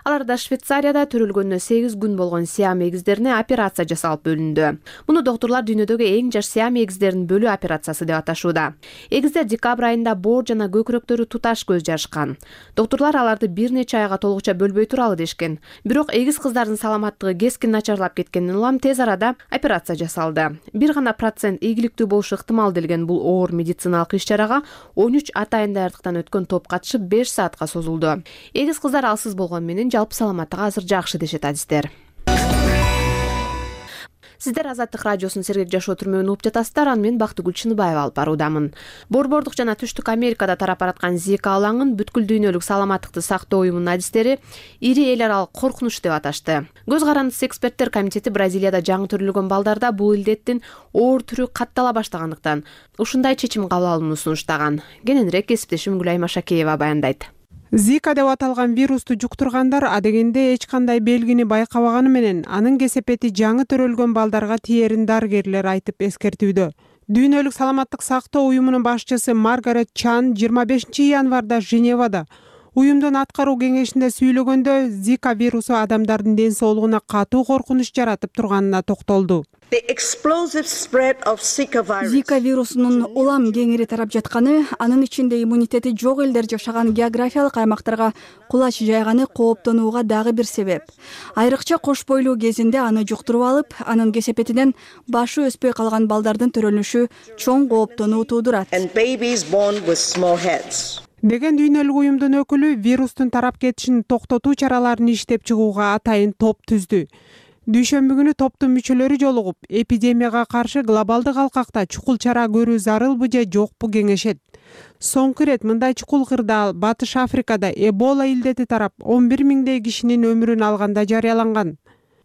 Аларда Швейцарияда төрөлгөнүнө сегиз күн болгон сиам эгиздерине операция жасалып бөлүндү. Муну доктурлар дүйнөдөгү эң жаш сиам эгиздерин бөлүү операциясы деп аташууда. Эгиздер декабрь айында боор жана көкүрөктөрү туташ көз жарышкан. Доктурлар аларды бир нече айга толугуча бөлбөй туралы дешкен. Бирок эгиз кыздардын саламаттыгы кескин начарлап кеткенден улам тез арада операция жасалды. Бир гана процент ийгиликтүү болушу ыктымал делген бул оор медициналык иш-чарага он үч атайын даярдыктан өткөн топ катышып беш саатка созулду. Эгиз кыздар алсыз болгон менен жалпы саламаттыгы азыр жакшы дешет адистер. Сиздер Азаттык радиосунун Сергек жашоо түрмөгүн угуп жатасыздар. Аны мен Бактыгүл Чыныбаева алып баруудамын. Борбордук жана Түштүк Америкада тарап бараткан Зика алаңын бүткүл дүйнөлүк саламаттыкты сактоо уюмунун адистери ири эл аралык коркунуч деп аташты. Көз карандысы эксперттер комитети Бразилияда жаңы төрөлгөн балдарда бул илдеттин оор түрү каттала баштагандыктан ушундай чечим кабыл алууну сунуштаган. Кененирээк кесиптешим Гүлай Машакеева баяндайт. Зика деп аталган вирусту жуктургандар адегенде эч кандай белгини байкабаганы менен анын кесепети жаңы төрөлгөн балдарга тиерин дарыгерлер айтып эскертүүдө. Дүйнөлүк саламаттык сактоо уюмунун башчысы Маргарет Чан жыйырма бешинчи январда Женевада уюмдун аткаруу кеңешинде сүйлөгөндө Зика вирусу адамдардын ден соолугуна катуу коркунуч жаратып турганына токтолду. Зика вирусунун улам кеңири тарап жатканы, анын ичинде иммунитети жок элдер жашаган географиялык аймактарга кулач жайганы кооптонууга дагы бир себеп. Айрыкча кош бойлуу кезинде аны жуктуруп алып, анын кесепетинен башы өспөй калган балдардын төрөлүшү чоң кооптонуу туудурат. Деген дүйнөлүк уюмдун өкүлү вирустун тарап кетишин токтотуу чараларын иштеп чыгууга атайын топ түздү. Дүйшөмбү күнү топтун мүчөлөрү жолугуп, эпидемияга каршы глобалдык алкакта чукул чара көрүү зарылбы же жокпу кеңешет. Соңку ирет мындай чукул кырдаал Батыш Африкада Эбола илдети тарап он бир миңдей кишинин өмүрүн алганда жарыяланган.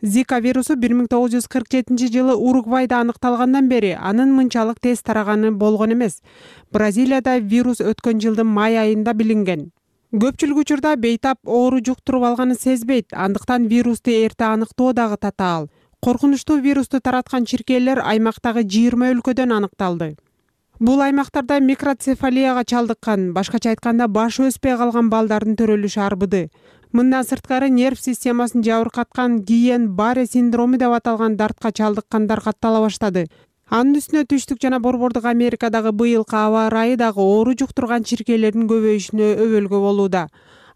Зика вирусу бир миң тогуз жүз кырк жетинчи жылы Уругвайда аныкталгандан бери анын мынчалык тез тараганы болгон эмес. Бразилияда вирус өткөн жылдын май айында билинген. Көпчүлүк учурда бейтап оору жуктуруп алганын сезбейт, андыктан вирусту эрте аныктоо дагы татаал. Коркунучтуу вирусту тараткан чиркейлер аймактагы жыйырма өлкөдөн аныкталды. Бул аймактарда микроцефалияга чалдыккан, башкача айтканда башы өспөй калган балдардын төрөлүшү арбыды. Мындан сырткары нерв системасын жабыркаткан Гийен-Барре синдрому деп аталган дартка чалдыккандар каттала баштады. Анын үстүнө Түштүк жана Борбордук Америкадагы быйылкы аба ырайы дагы оору жуктурган чиркейлердин көбөйүшүнө өбөлгө болууда.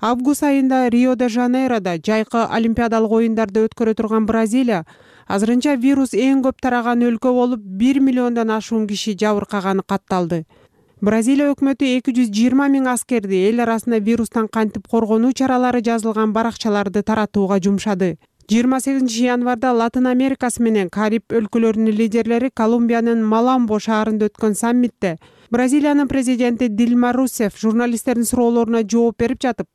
Август айында Рио-де-Жанейродо жайкы олимпиадалык оюндарды өткөрө турган Бразилия азырынча вирус эң көп тараган өлкө болуп, бир миллиондон ашуун киши жабыркаганы катталды. Бразилия өкмөтү эки жүз жыйырма миң аскерди эл арасында вирустан кантип коргонуу чаралары жазылган баракчаларды таратууга жумшады. жыйырма сегизинчи январда Латын Америкасы менен Кариб өлкөлөрүнүн лидерлери Колумбиянын Маламбо шаарында өткөн саммитте Бразилиянын президенти Дилма Русефф журналисттердин суроолоруна жооп берип жатып,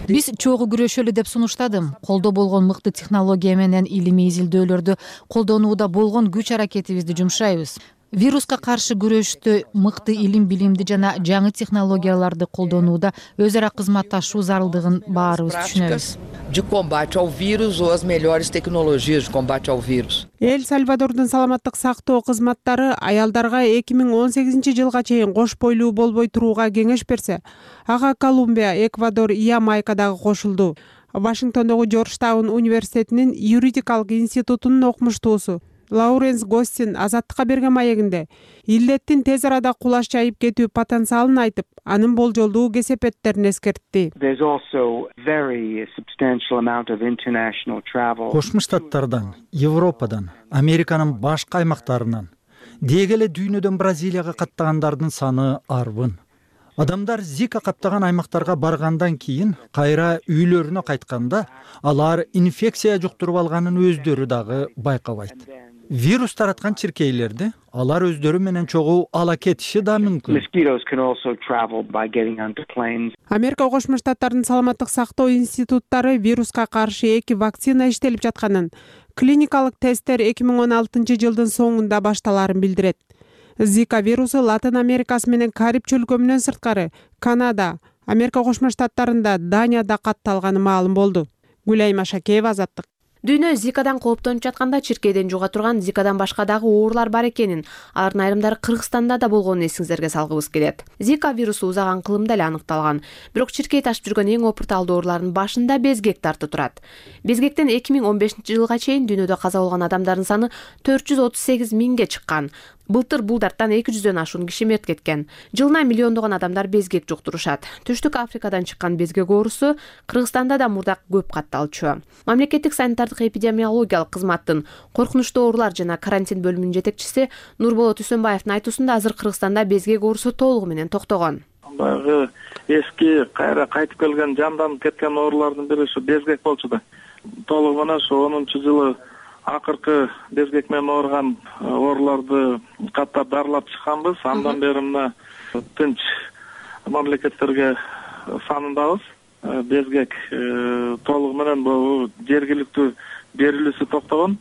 биз чогуу күрөшөлү деп сунуштадым. Колдо болгон мыкты технология менен илимий изилдөөлөрдү колдонууда болгон күч аракетибизди жумшайбыз. Вируска каршы күрөштө мыкты илим билимди жана жаңы технологияларды колдонууда өз ара кызматташуу зарылдыгын баарыбыз түшүнөбүз. De combate ao vírus ou as melhores tecnologias de combate ao vírus. Эл Сальвадордун саламаттык сактоо кызматтары аялдарга эки миң он сегизинчи жылга чейин кош бойлуу болбой турууга кеңеш берсе, ага Колумбия, Эквадор, Ямайка дагы кошулду. Вашингтондогу Джорджтаун университетинин юридикалык институтунун окумуштуусу Лауренс Гостин Азаттыкка берген маегинде илдеттин тез арада кулаш жайып кетүү потенциалын айтып, анын болжолдуу кесепеттерин эскертти. Кошмо Штаттардан, Европадан, Американын башка аймактарынан, деги эле дүйнөдөн Бразилияга каттагандардын саны арбын. Адамдар Зика каптаган аймактарга баргандан кийин кайра үйлөрүнө кайтканда алар инфекция жуктуруп алганын өздөрү дагы байкабайт. Вирус тараткан чиркейлерди алар өздөрү менен чогуу ала кетиши да мүмкүн. Америка Кошмо Штаттарынын саламаттык сактоо институттары вируска каршы эки вакцина иштелип жатканын, клиникалык тесттер эки миң он алтынчы жылдын соңунда башталарын билдирет. Зика вирусу Латын Америкасы менен Кариб чөлкөмүнөн сырткары Канада, Америка Кошмо Штаттарында, Данияда катталганы маалым болду. Гүлайма Шакеева, Азаттык. Дүйнө Зикадан кооптонуп жатканда чиркейден жуга турган Зикадан башка дагы оорулар бар экенин, алардын айрымдары Кыргызстанда да болгонун эсиңиздерге салгыбыз келет. Зика вирусу узаган кылымда эле аныкталган, бирок чиркей ташып жүргөн эң опурталдуу оорулардын башында безгек тартып турат. Безгектен эки миң он бешинчи жылга чейин дүйнөдө каза болгон адамдардын саны төрт жүз отуз сегиз миңге чыккан. Былтыр бул дарттан эки жүздөн ашуун киши мерт кеткен. Жылына миллиондогон адамдар безгек жуктурушат. Түштүк Африкадан чыккан безгек оорусу Кыргызстанда да мурда көп катталчу. Мамлекеттик санитардык эпидемиологиялык кызматтын коркунучтуу оорулар жана карантин бөлүмүнүн жетекчиси Нурболот Үсөнбаевдин айтуусунда азыр Кыргызстанда безгек оорусу толугу менен токтогон. Баягы эски кайра кайтып келген жанданып кеткен оорулардын бири ушу безгек болчу да. Толугу менен ушу онунчу жылы акыркы безгек менен ооруган ооруларды каттап дарылап чыкканбыз. Андан бери мына тынч мамлекеттерге санындабыз. Безгек толугу менен бул жергиликтүү берилүүсү токтогон.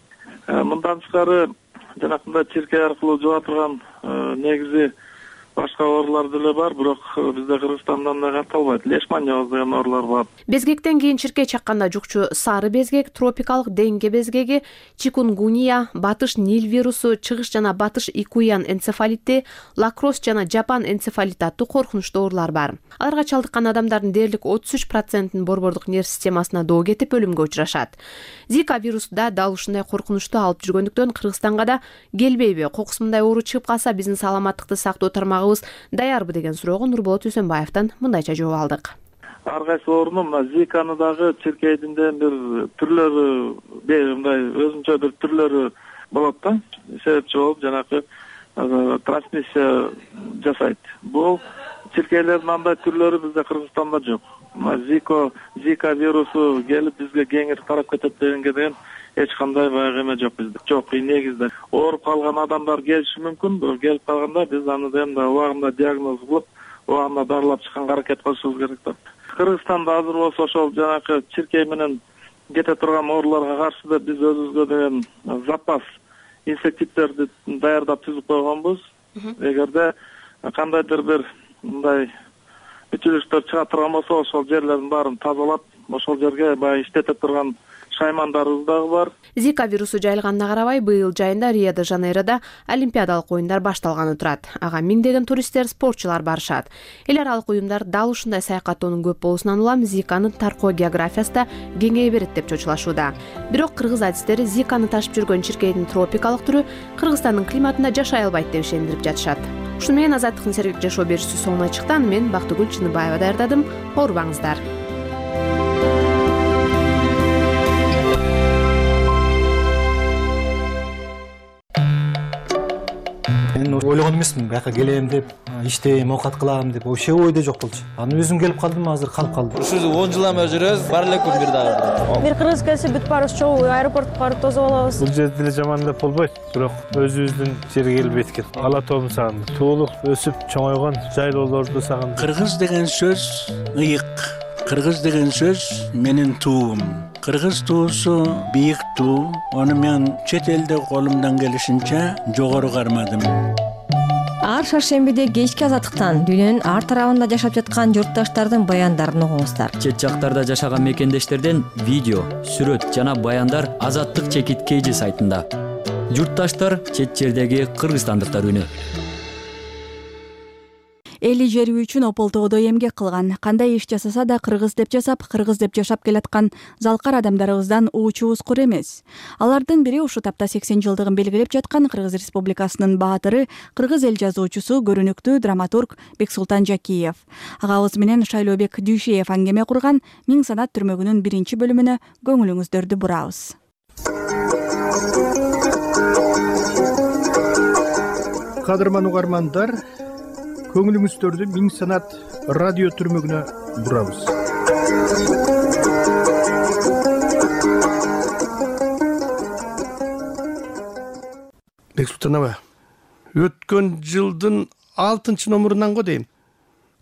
Мындан тышкары жанакындай чиркей аркылуу жуга турган негизи башка оорулар деле бар, бирок бизде Кыргызстанда андай катталбайт. Лешманьоз деген оорулар бар. Безгектен кийин чиркей чакканда жукчу сары безгек, тропикалык денге безгеги, чикунгуния, батыш Нил вирусу, чыгыш жана батыш икуян энцефалити, лакрос жана жапан энцефалити аттуу коркунучтуу оорулар бар. Аларга чалдыккан адамдардын дээрлик отуз үч процентин борбордук нерв системасына доо кетип өлүмгө учурашат. Зика вирусу да дал ушундай коркунучтуу алып жүргөндүктөн Кыргызстанга да келбейби? Кокусундай оору чыгып калса биздин саламаттыкты сактоо тармагыбыз даярбы деген суроого Нурболот Үсөнбаевден мындайча жооп алдык. Ар кайсы оорунун мына Зиканы дагы чиркейдин бир түрлөрү, мындай өзүнчө бир түрлөрү болот да. Себепчи болуп жанакы трансмиссия жасайт. Бул чиркейлердин андай түрлөрү бизде Кыргызстанда жок. Зика, Зика вирусу келип бизге кеңири тарап кетет дегенге деген эч кандай баягы эме жок бизде. Жок, негизде ооруп калган адамдар келиши мүмкүн. Келип калганда биз аны да убагында диагноз кылып, убагында дарылап чыкканга аракет кылышыбыз керек да. Кыргызстанда азыр болсо ошол жанакы чиркей менен кете турган ооруларга каршы да биз өзүбүзгө деген запас инсектицидтерди даярдап түзүп койгонбуз. Эгерде кандайдыр бир мындай бүтүлүштөр чыга турган болсо, ошол жерлердин баарын тазалап, ошол жерге баягы иштете турган шаймандарыбыз дагы бар. Зика вирусу жайылганына карабай, быйыл жайында Рио-де-Жанейрода Олимпиадалык оюндар башталганы турат. Ага миңдеген туристтер, спортчулар барышат. Эл аралык уюмдар дал ушундай саякаттоонун көп болуусунан улам Зиканын таркоо географиясы да кеңейе берет деп чочулашууда. Бирок кыргыз адистери Зиканы ташып жүргөн чиркейдин тропикалык түрү Кыргызстандын климатында жашай албайт деп ишендирип жатышат. Ушуну менен Азаттыктын сергек жашоо берүүсү соңуна чыкты. Мен Бактыгүл Чыныбаева даярдадым. Оорубаңыздар. Мен ойлогон эмесмин, бияка келем деп, иштейм, оокат кылам деп, вообще ойдо жок болчу. Анан өзүм келип калдым, азыр калып калдым. Ушу он жыл эме жүрөбүз, бар эле күн бир дагы. Бир кыргыз келсе бүт баарыбыз чогуу аэропортко барып тосуп алабыз. Бул жерде деле жаман деп болбойт, бирок өзүбүздүн жерге келбейт экен. Ала тообун сагындым. Туулук өсүп чоңойгон жайлоолорду сагындым. Кыргыз деген сөз ыйык. Кыргыз деген сөз менин туум. Кыргыз туусу бийик туу. Аны мен чет элде колумдан келишинче жогору кармадым. Ар шаршембиде кечки Азаттыктан дүйнөнүн ар тарабында жашап жаткан журтташтардын баяндарын угуңуздар. Чет жактарда жашаган мекендештерден видео, сүрөт жана баяндар Азаттык чекит кейжи сайтында. Журтташтар чет жердеги кыргызстандыктар үнү. эли жери үчүн ополтоодо эмгек кылган. Кандай иш жасаса да кыргыз деп жасап, кыргыз деп жашап келаткан залкар адамдарыбыздан уучубуз кур эмес. Алардын бири ушу тапта сексен жылдыгын белгилеп жаткан Кыргыз Республикасынын баатыры, кыргыз эл жазуучусу, көрүнүктүү драматург Бексултан Жакиев. Агабыз менен Шайлообек Дүйшеев аңгеме курган Миң санат түрмөгүнүн биринчи бөлүмүнө көңүлүңүздөрдү бурабыз. Кадырман угармандар, көңүлүңүздөрдү Миң санат радио түрмөгүнө бурабыз. Бексултан аба, өткөн жылдын алтынчы номурунан го дейм.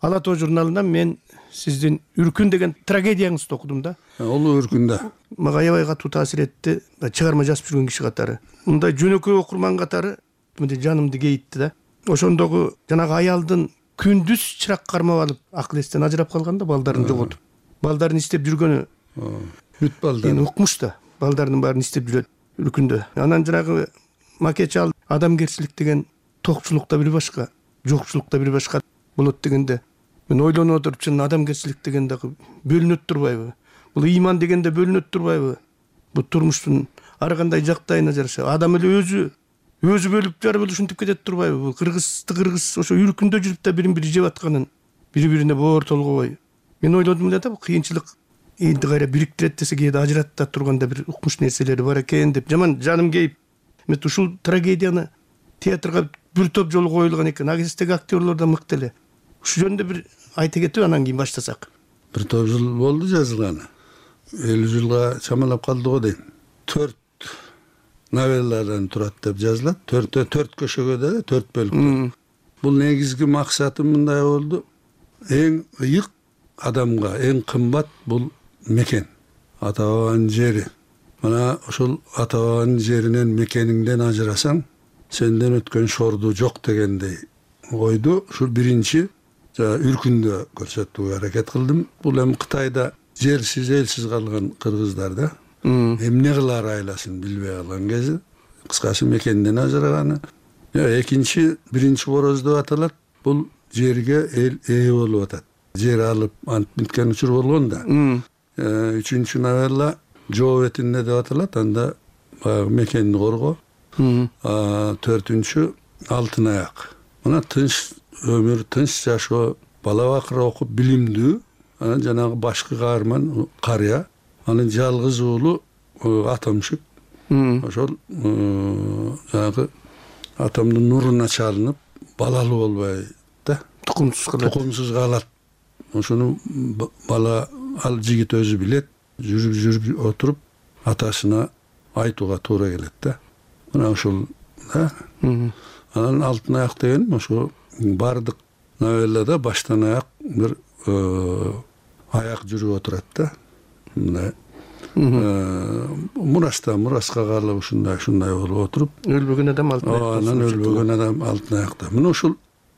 Ала тоо журналынан мен сиздин Үркүн деген трагедияңызды окудум да. Ол Үркүндө. Мага аябай катуу таасир этти. Чыгарма жазып жүргөн киши катары. Мындай жөнөкөй окурман катары мындай жанымды кейитти да. Ошондогу жанагы аялдын күндүз чырак кармап алып, акыл эстен ажырап калганда, балдарын жоготуп, балдарын издеп жүргөнү бүт балдар. Эми укмуш да, балдарынын баарын издеп жүрөт Үркүндө. Анан жанагы макет ал адамгерчилик деген токчулукта бир башка, жокчулукта бир башка болот дегенде мен ойлонуп отуруп, чын адамгерчилик деген дагы бөлүнөт турбайбы? Бул ыйман дегенде бөлүнөт турбайбы? Бул турмуштун ар кандай жактайына жараша адам эле өзү өзү бөлүп жарып ушинтип кетет турбайбы? Бул кыргызды кыргыз ошо Үркүндө жүрүп да бирин бири жеп атканын бири-бирине боор толгобой. Мен ойлодум эле да, бул кыйынчылык элди кайра бириктирет десе, кээде ажырата турганда бир укмуш нерселери бар экен деп жаман жаным кейип, мен ушул трагедияны театрга бир топ жолу коюлган экен. Агестеги актерлор да мыкты эле. Ушу жөнүндө бир айта кетип, анан кийин баштасак. Бир топ жыл болду жазылганы. элүү жылга чамалап калды го дейм. Төрт новелладан турат деп жазылат. Төртө төрт көшөгө деле төрт бөлүктө. Бул негизги максаты мындай болду. Эң ыйык адамга эң кымбат бул мекен, ата бабанын жери. Мына ошол ата бабанын жеринен, мекениңден ажырасаң, сенден өткөн шорду жок дегендей ойду ушул биринчи Үркүндө көрсөтүүгө аракет кылдым. Бул эми Кытайда жерсиз, элсиз калган кыргыздар да эмне кылаар айласын билбей калган кези, кыскасы мекенден ажыраганы. Экинчи, биринчи короз деп аталат. Бул жерге эл ээ болуп атат. Жер алып антип биткен учур болгон да. Үчүнчү новелла Жоо бетинде деп аталат. Анда баягы мекенди коргоо. Төртүнчү Алтын аяк. Мына тынч өмүр, тынч жашоо, бала бакыр окуп билимдүү, анан жанагы башкы каарман карыя, анын жалгыз уулу Атамшык. Ошол жанагы атамдын нуруна чалынып, балалуу болбой да, тукумсуз калат. Тукумсуз калат. Ошону бала ал жигит өзү билет, жүрүп жүрүп отуруп атасына айтууга туура келет да. Мына ошол да. Анан Алтын аяк деген ошо бардык новеллада баштан аяк бир аяк жүрүп отурат да. Мындай мураста мураска калып ушундай ушундай болуп отуруп, өлбөгөн адам алтын аяк. Анан өлбөгөн адам алтын аякта. Мына ушул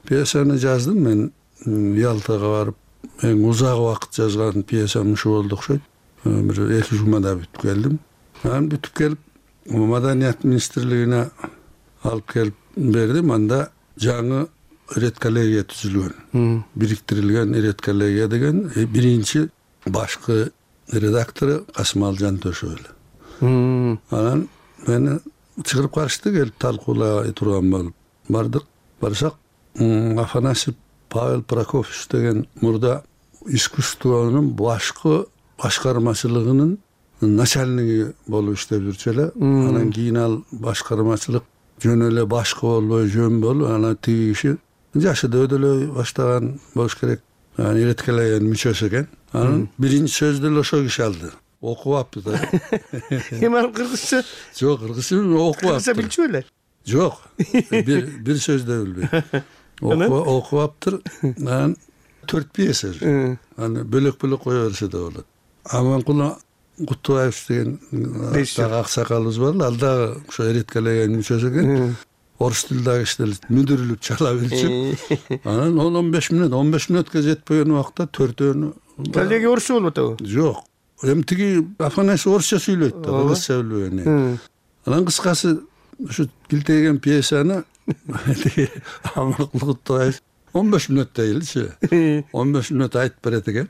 пьесаны жаздым мен. Ялтага барып эң узак убакыт жазган пьесам ушу болду окшойт. Бир эки жумада бүтүп келдим. Анан бүтүп келип Маданият министрлигине алып келип бердим. Анда жаңы редколлегия түзүлгөн. Бириктирилген редколлегия деген биринчи башкы редактору Касымал Жантөшев эле. Анан мени чыгарып карышты, келип талкуулай турган болуп бардык. Барсак Афанасьев Павел Прокофьевич деген мурда искусствонун башкы башкармачылыгынын начальниги болуп иштеп жүрчү эле. Анан кийин ал башкармачылык жөн эле башкы болбой жөн болуп, анан тиги киши жашы да өдөлөй баштаган болуш керек. Анан редколлегиянын мүчөсү экен. Анан биринчи сөздү эле ошол киши алды. Окуп апты да. Эми ал кыргызча? Жок, кыргызча окуп апты. Кыргызча билчү беле? Жок. Бир бир сөз да билбей. Окуп аптыр. Анан төрт пьеса. Аны бөлөк-бөлөк кое берсе да болот. Аманкул Кутубаев деген дагы аксакалыбыз бар. Ал дагы ошо редколлегиянын мүчөсү экен. Орус тилдеги кишилер мүдүрүлүп чала билчү. Анан он он беш мүнөт, он беш мүнөткө жетпеген убакта төртөөнү. Коллеги орусча болуп атабы? Жок. Эми тиги Афанасьев орусча сүйлөйт да, кыргызча билбеген. Анан кыскасы ушу килтеген пьесаны Аманкул Кутубаев он беш мүнөт дейли он беш мүнөт айтып берет экен.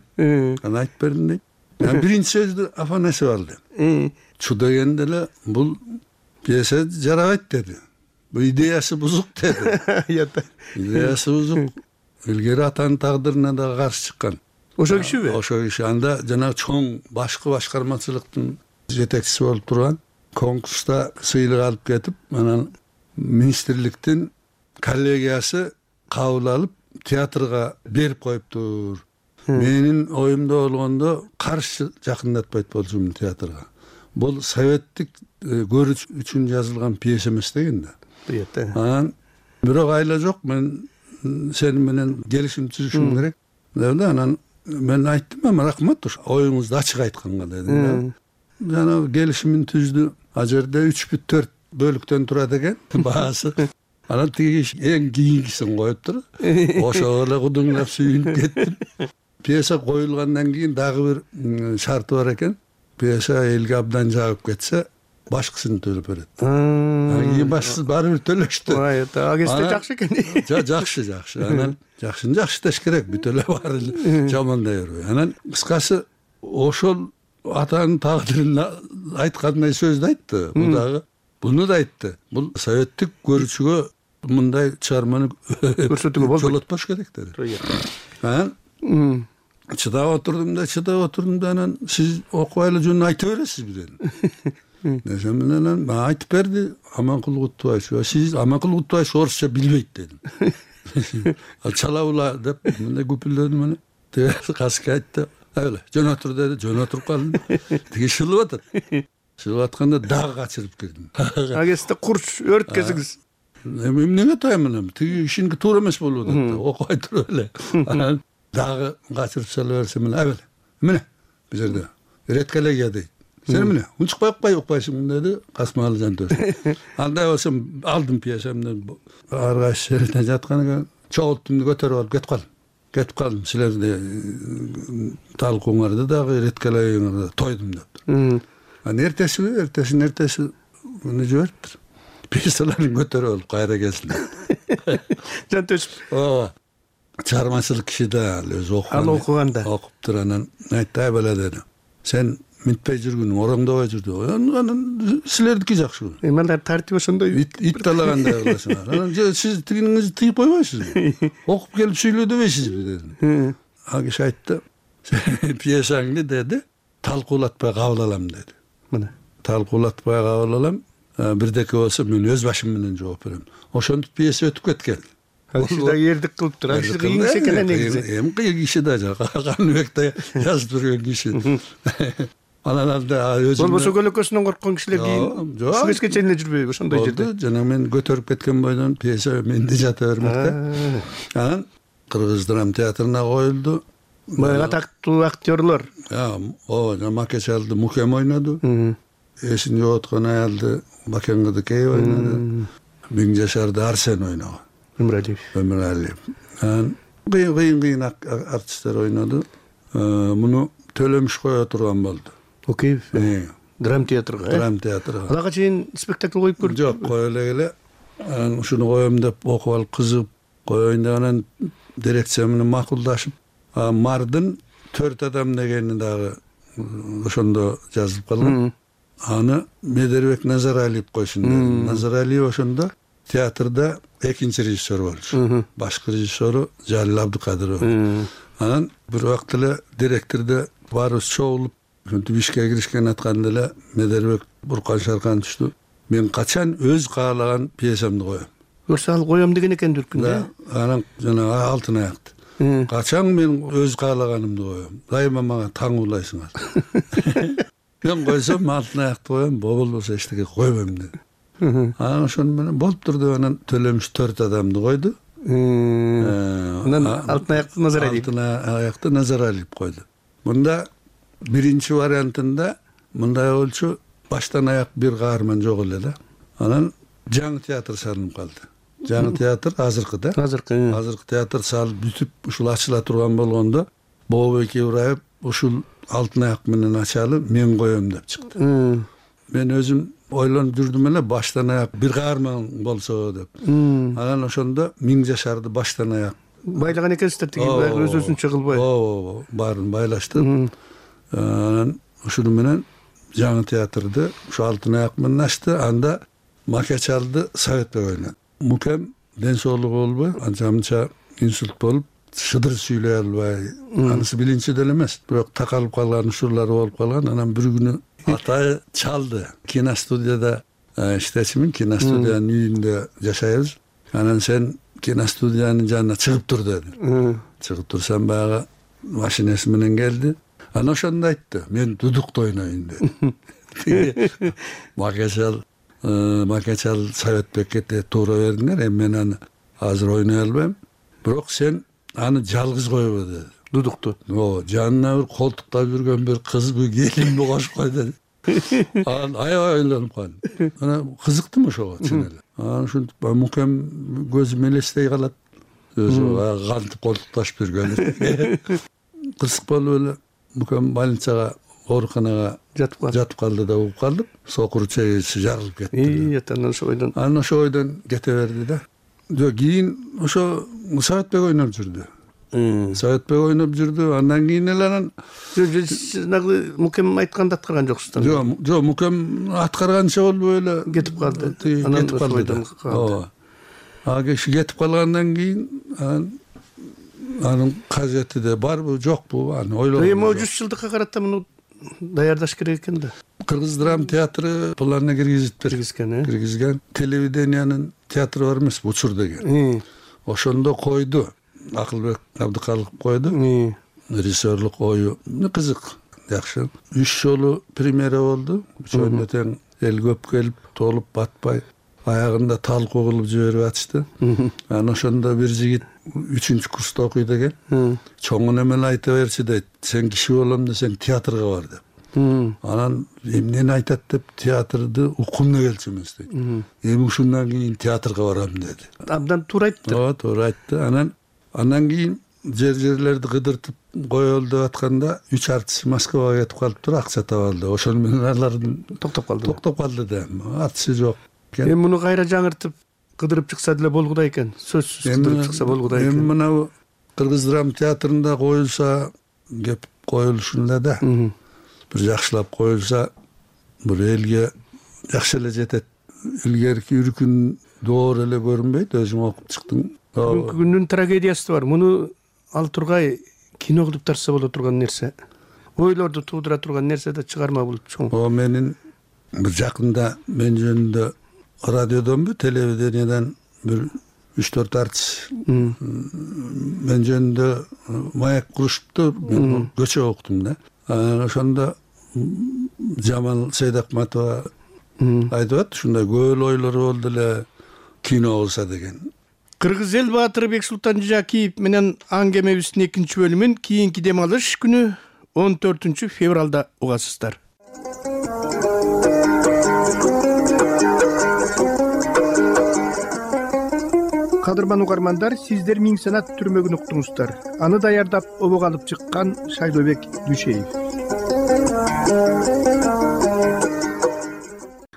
Анан айтып бердим дейт. Мен биринчи сөздү Афанасьев алды. Чу дегенде эле бул пьеса жарабайт деди. Бул идеясы бузук деди. Идеясы бузук. Илгери атанын тагдырына да каршы чыккан. Ошо кишиби? Ошо киши. Анда жана чоң башкы башкармачылыктын жетекчиси болуп турган. Конкурста сыйлык алып кетип, анан министрликтин коллегиясы кабыл алып, театрга берип коюптур. Менин оюмда болгондо каршы жакындатпайт болчумун театрга. Бул советтик көрүш үчүн жазылган пьеса эмес деген да. Анан бирок айла жок, мен сени менен келишим түзүшүм керек деп анан мен айттым, эми рахмат, оюңузду ачык айтканга дедим. Жана келишимин түздү. А жерде үч бүт төрт бөлүктөн турат экен баасы. Анан тиги эң кийинкисин коюптур. Ошого эле кудуңдап сүйүнүп кеттим. Пьеса коюлгандан кийин дагы бир шарты бар экен. Пьеса элге абдан жагып кетсе, башкысын төлөп берет. Анан кийин башкысы баары бир төлөштү. А кезде жакшы экен. Жакшы, жакшы. Анан жакшыны жакшы деш керек, бүт эле баары жамандай бербей. Анан кыскасы ошол атанын тагдырын айткандай сөздү айтты. Бул дагы буну да айтты. Бул советтик көрүүчүгө мындай чыгарманы көрсөтүүгө болбойт. Жолотпош керек деди. Анан чыдап отурдум да, чыдап отурдум да, анан сиз окубайлы жөн айта бересизби дедим. Десем менен анан айтып берди Аманкул Кутубаевич. Сиз Аманкул Кутубаевич орусча билбейт дедим. Чала ула деп мындай күпүлдөдүм анан. Теги каскы айтты. Öyle, jön otur dedi, jön oturup kaldım. Tigi şılıp atar. Şılıp atkanda dağ kaçırıp girdim. Ageste kurç, ört kezigiz. Emnege taymanam, tigi işinki tuğra emes bolup okubay tur öyle. Dağı kaçırıp salıversem öyle, öyle. Mine, biz yerde, üretkele deydi. Sen mine, un çıkpay okpay okpaysın dedi, kasmalı jan töz. Anda olsam aldım piyesemden, arkadaş şeritten jatkanıga, çoğulttumdu götürüp alıp ketip kaldım. Ketip kaldım, sizler de talkuңарды дагы эреткелейиңерди тойдум дептир. Анан эртеси, эртесинин эртеси муну жибериптир. Пьесаларын көтөрүп алып кайра келсин. Жан төшүп. Ооба. Чыгармачылык киши да өзү окуган. Ал окуганда. Окуптур, анан айтты, ай бала деди. Сен минтпей жүргүнүң, ороңдобой жүрдү. Анан силердики жакшы. Эми алар тартип ошондой ит талагандай кыласыңар. Анан сиз тигиниңизди тыйып койбойсузбу? Окуп келип сүйлө дебейсизби дедим. А киши айтты, пьесаңды деди, талкуулатпай кабыл алам деди. Мына. Талкуулатпай кабыл алам, бирдеке болсо мен өз башым менен жооп берем. Ошентип пьеса өтүп кеткен. Киши да эрдик кылыптыр. Киши кыйын киши экен негизи. Эми кыйын киши да жок. Каныбекте жазып жүргөн киши. Анан анда өзүм болбосо көлөкөсүнөн корккон кишилер кийин ушул кезге чейин эле жүрбөйбү ошондой жерде. Жана мен көтөрүп кеткен бойдон пьеса менде жата бермекте. Анан Кыргыз драма театрына коюлду. Баягы атактуу актерлор. Ооба, Макечалды Мукем ойноду. Эсин жооткон аялды Бакен Кыдыкей ойноду. Миңжашарды Арсен ойногон. Өмүралиев. Өмүралиев. Анан кыйын-кыйын артисттер ойноду. Муну Төлөмүш кое турган болду. Океев. Драм театрга. Драм театрга. Алага чейин спектакль коюп көрдүк. Жок, кое эле эле. Анан ушуну коем деп окуп алып кызыгып коеюн деп анан дирекция менен макулдашып, Мардын төрт адам дегени дагы ошондо жазылып калган. Аны Медербек Назаралиев койсун деди. Назаралиев ошондо театрда экинчи режиссер болчу. Башкы режиссеру Жалил Абдыкадыров. Анан бир убакыт эле директорде баарыбыз чогулуп, ушинтип ишке киришкен атканда эле Медербек буркан шаркан түштү. Мен качан өз каалаган пьесамды коем. Көрсө ал коем деген экен дүркүндө. Анан жана алтын аякты. Качан мен өз каалаганымды коем. Дайыма мага таң улайсыңар. Мен койсом алтын аякты коем, болбосо эчтеке койбойм деди. Анан ошону менен болуптур деп анан Төлөмүш төрт адамды койду. Анан алтын аякты Назаралиев. Алтын аякты Назаралиев койду. Мында биринчи вариантында мындай болчу, баштан аяк бир каарман жок эле да. Анан жаңы театр салынып калды. Жаңы театр азыркы да. Азыркы. Азыркы театр салып бүтүп, ушул ачыла турган болгондо Бообек Ибраев ушул алтын аяк менен ачалы мен коем деп чыкты. Мен өзүм ойлонуп жүрдүм эле, баштан аяк бир каарман болсо деп. Анан ошондо Миңжашарды баштан аяк байлаган экенсиздер тиги баягы өз өзүнчө кылбай. ооба баарын байлаштык. Анан ушуну менен жаңы театрды ушу Алтын аяк менен ачты. Анда Макечалды Советбек ойнады. Мукем ден соолугу болбой, анча мынча инсульт болуп, шыдыр сүйлөй албай, анысы билинчи деле эмес, бирок такалып калган учурлары болуп калган. Анан бир күнү атайы чалды. Киностудияда иштечимин, киностудиянын үйүндө жашайбыз. Анан сен киностудиянын жанына чыгып тур деди. Чыгып турсам баягы машинеси менен келди. Анан ошондо айтты, мен дудукта ойнойюн деди. Макечал Макечал Советбекке туура бердиңер, эми мен аны азыр ойной албайм. Бирок сен аны жалгыз койбо деди. Дудукту. Ооба, жанына бир колтуктап жүргөн бир кызбы, келинби кошуп кой деди. Анан аябай ойлонуп калдым. Анан кызыктым ошого чын эле. Анан ушинтип Мукем көзүм элестей калат. Өзү кантип колтукташып жүргөн. Кызык болуп эле Мукем больницага, ооруканага жатып калды да угуп калдым. Сокур чегиси жарылып кетти. Анан ошо ойдон анан ошо ойдон кете берди да. Жок, кийин ошо Советбек ойноп жүрдү. Советбек ойноп жүрдү. Андан кийин эле анан жанагы Мукем айтканды аткарган жоксуздар. Жок, жок, Мукем аткарганча болбой эле кетип калды. Кетип калды. Ооба. А киши кетип калгандан кийин анан анын кажети да барбы, жокпу, аны ойлогон. Эми жүз жылдыкка карата муну даярдаш керек экен да. Кыргыз драма театры планына киргизиптир. Киргизген, киргизген. Телевидениянын театры бар эмес, Учур деген. Ошондо койду. Акылбек Абдыкалыков койду. Режиссерлук ою кызык, жакшы. Үч жолу премьера болду. Үчөөнө тең эл көп келип, толуп батпай, аягында талкуу кылып жиберип атышты. Анан ошондо бир жигит үчүнчү курста окуйт экен. Чоңун эмеле айта берчи дейт. Сен киши болом десең театрга бар деп. Анан эмнени айтат деп театрды уккунда келчү эмес дейт. Эми ушундан кийин театрга барам деди. Абдан туура айтты. Ооба, туура айтты. Анан андан кийин жер-жерлерди кыдыртып коелу деп атканда үч артист Москвага кетип калыптыр, акча таба алды. Ошону менен алар токтоп калды. Токтоп калды да. Артисти жок. Эми муну кайра жаңыртып кыдырып чыкса деле болгудай экен. Сөзсүз кыдырып чыкса болгудай экен. Эми мына Кыргыз драма театрында коюлса, кеп коюлушун эле да. Бир жакшылап коюлса, бир элге жакшы эле жетет. Илгерки үркүн доор эле көрүнбөйт, өзүң окуп чыктың. Бүгүнкү күндүн трагедиясы бар. Муну ал тургай кино кылып тарса боло турган нерсе. Ойлорду туудура турган нерсе да чыгарма бул чоң. О, менин бир жакында мен жөнүндө радиодонбу, телевидениядан бир үч төрт артист мен жөнүндө маек курушупту, мен көчө уктум да. Анан ошондо Жамал Сейдакматова айтып атты, ушундай көөл ойлору болду эле кино болсо деген. Кыргыз эл баатыры Бексултан Жакиев менен аңгемебиздин экинчи бөлүмүн кийинки дем алыш күнү он төртүнчү февралда угасыздар. Кадырман угармандар, сиздер Миң санат түрмөгүн уктуңуздар. Аны даярдап обого алып чыккан Шайлообек Дүйшеев.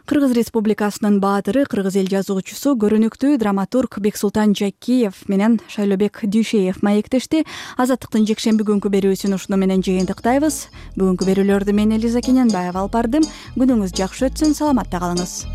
Кыргыз Республикасынын баатыры, кыргыз эл жазуучусу, көрүнүктүү драматург Бексултан Жакиев менен Шайлообек Дүйшеев маектешти. Азаттыктын жекшемби күнкү берүүсүн ушуну менен жыйынтыктайбыз. Бүгүнкү берүүлөрдү мен Элиза Кененбаева алып бардым. Күнүңүз жакшы өтсүн, саламатта калыңыз.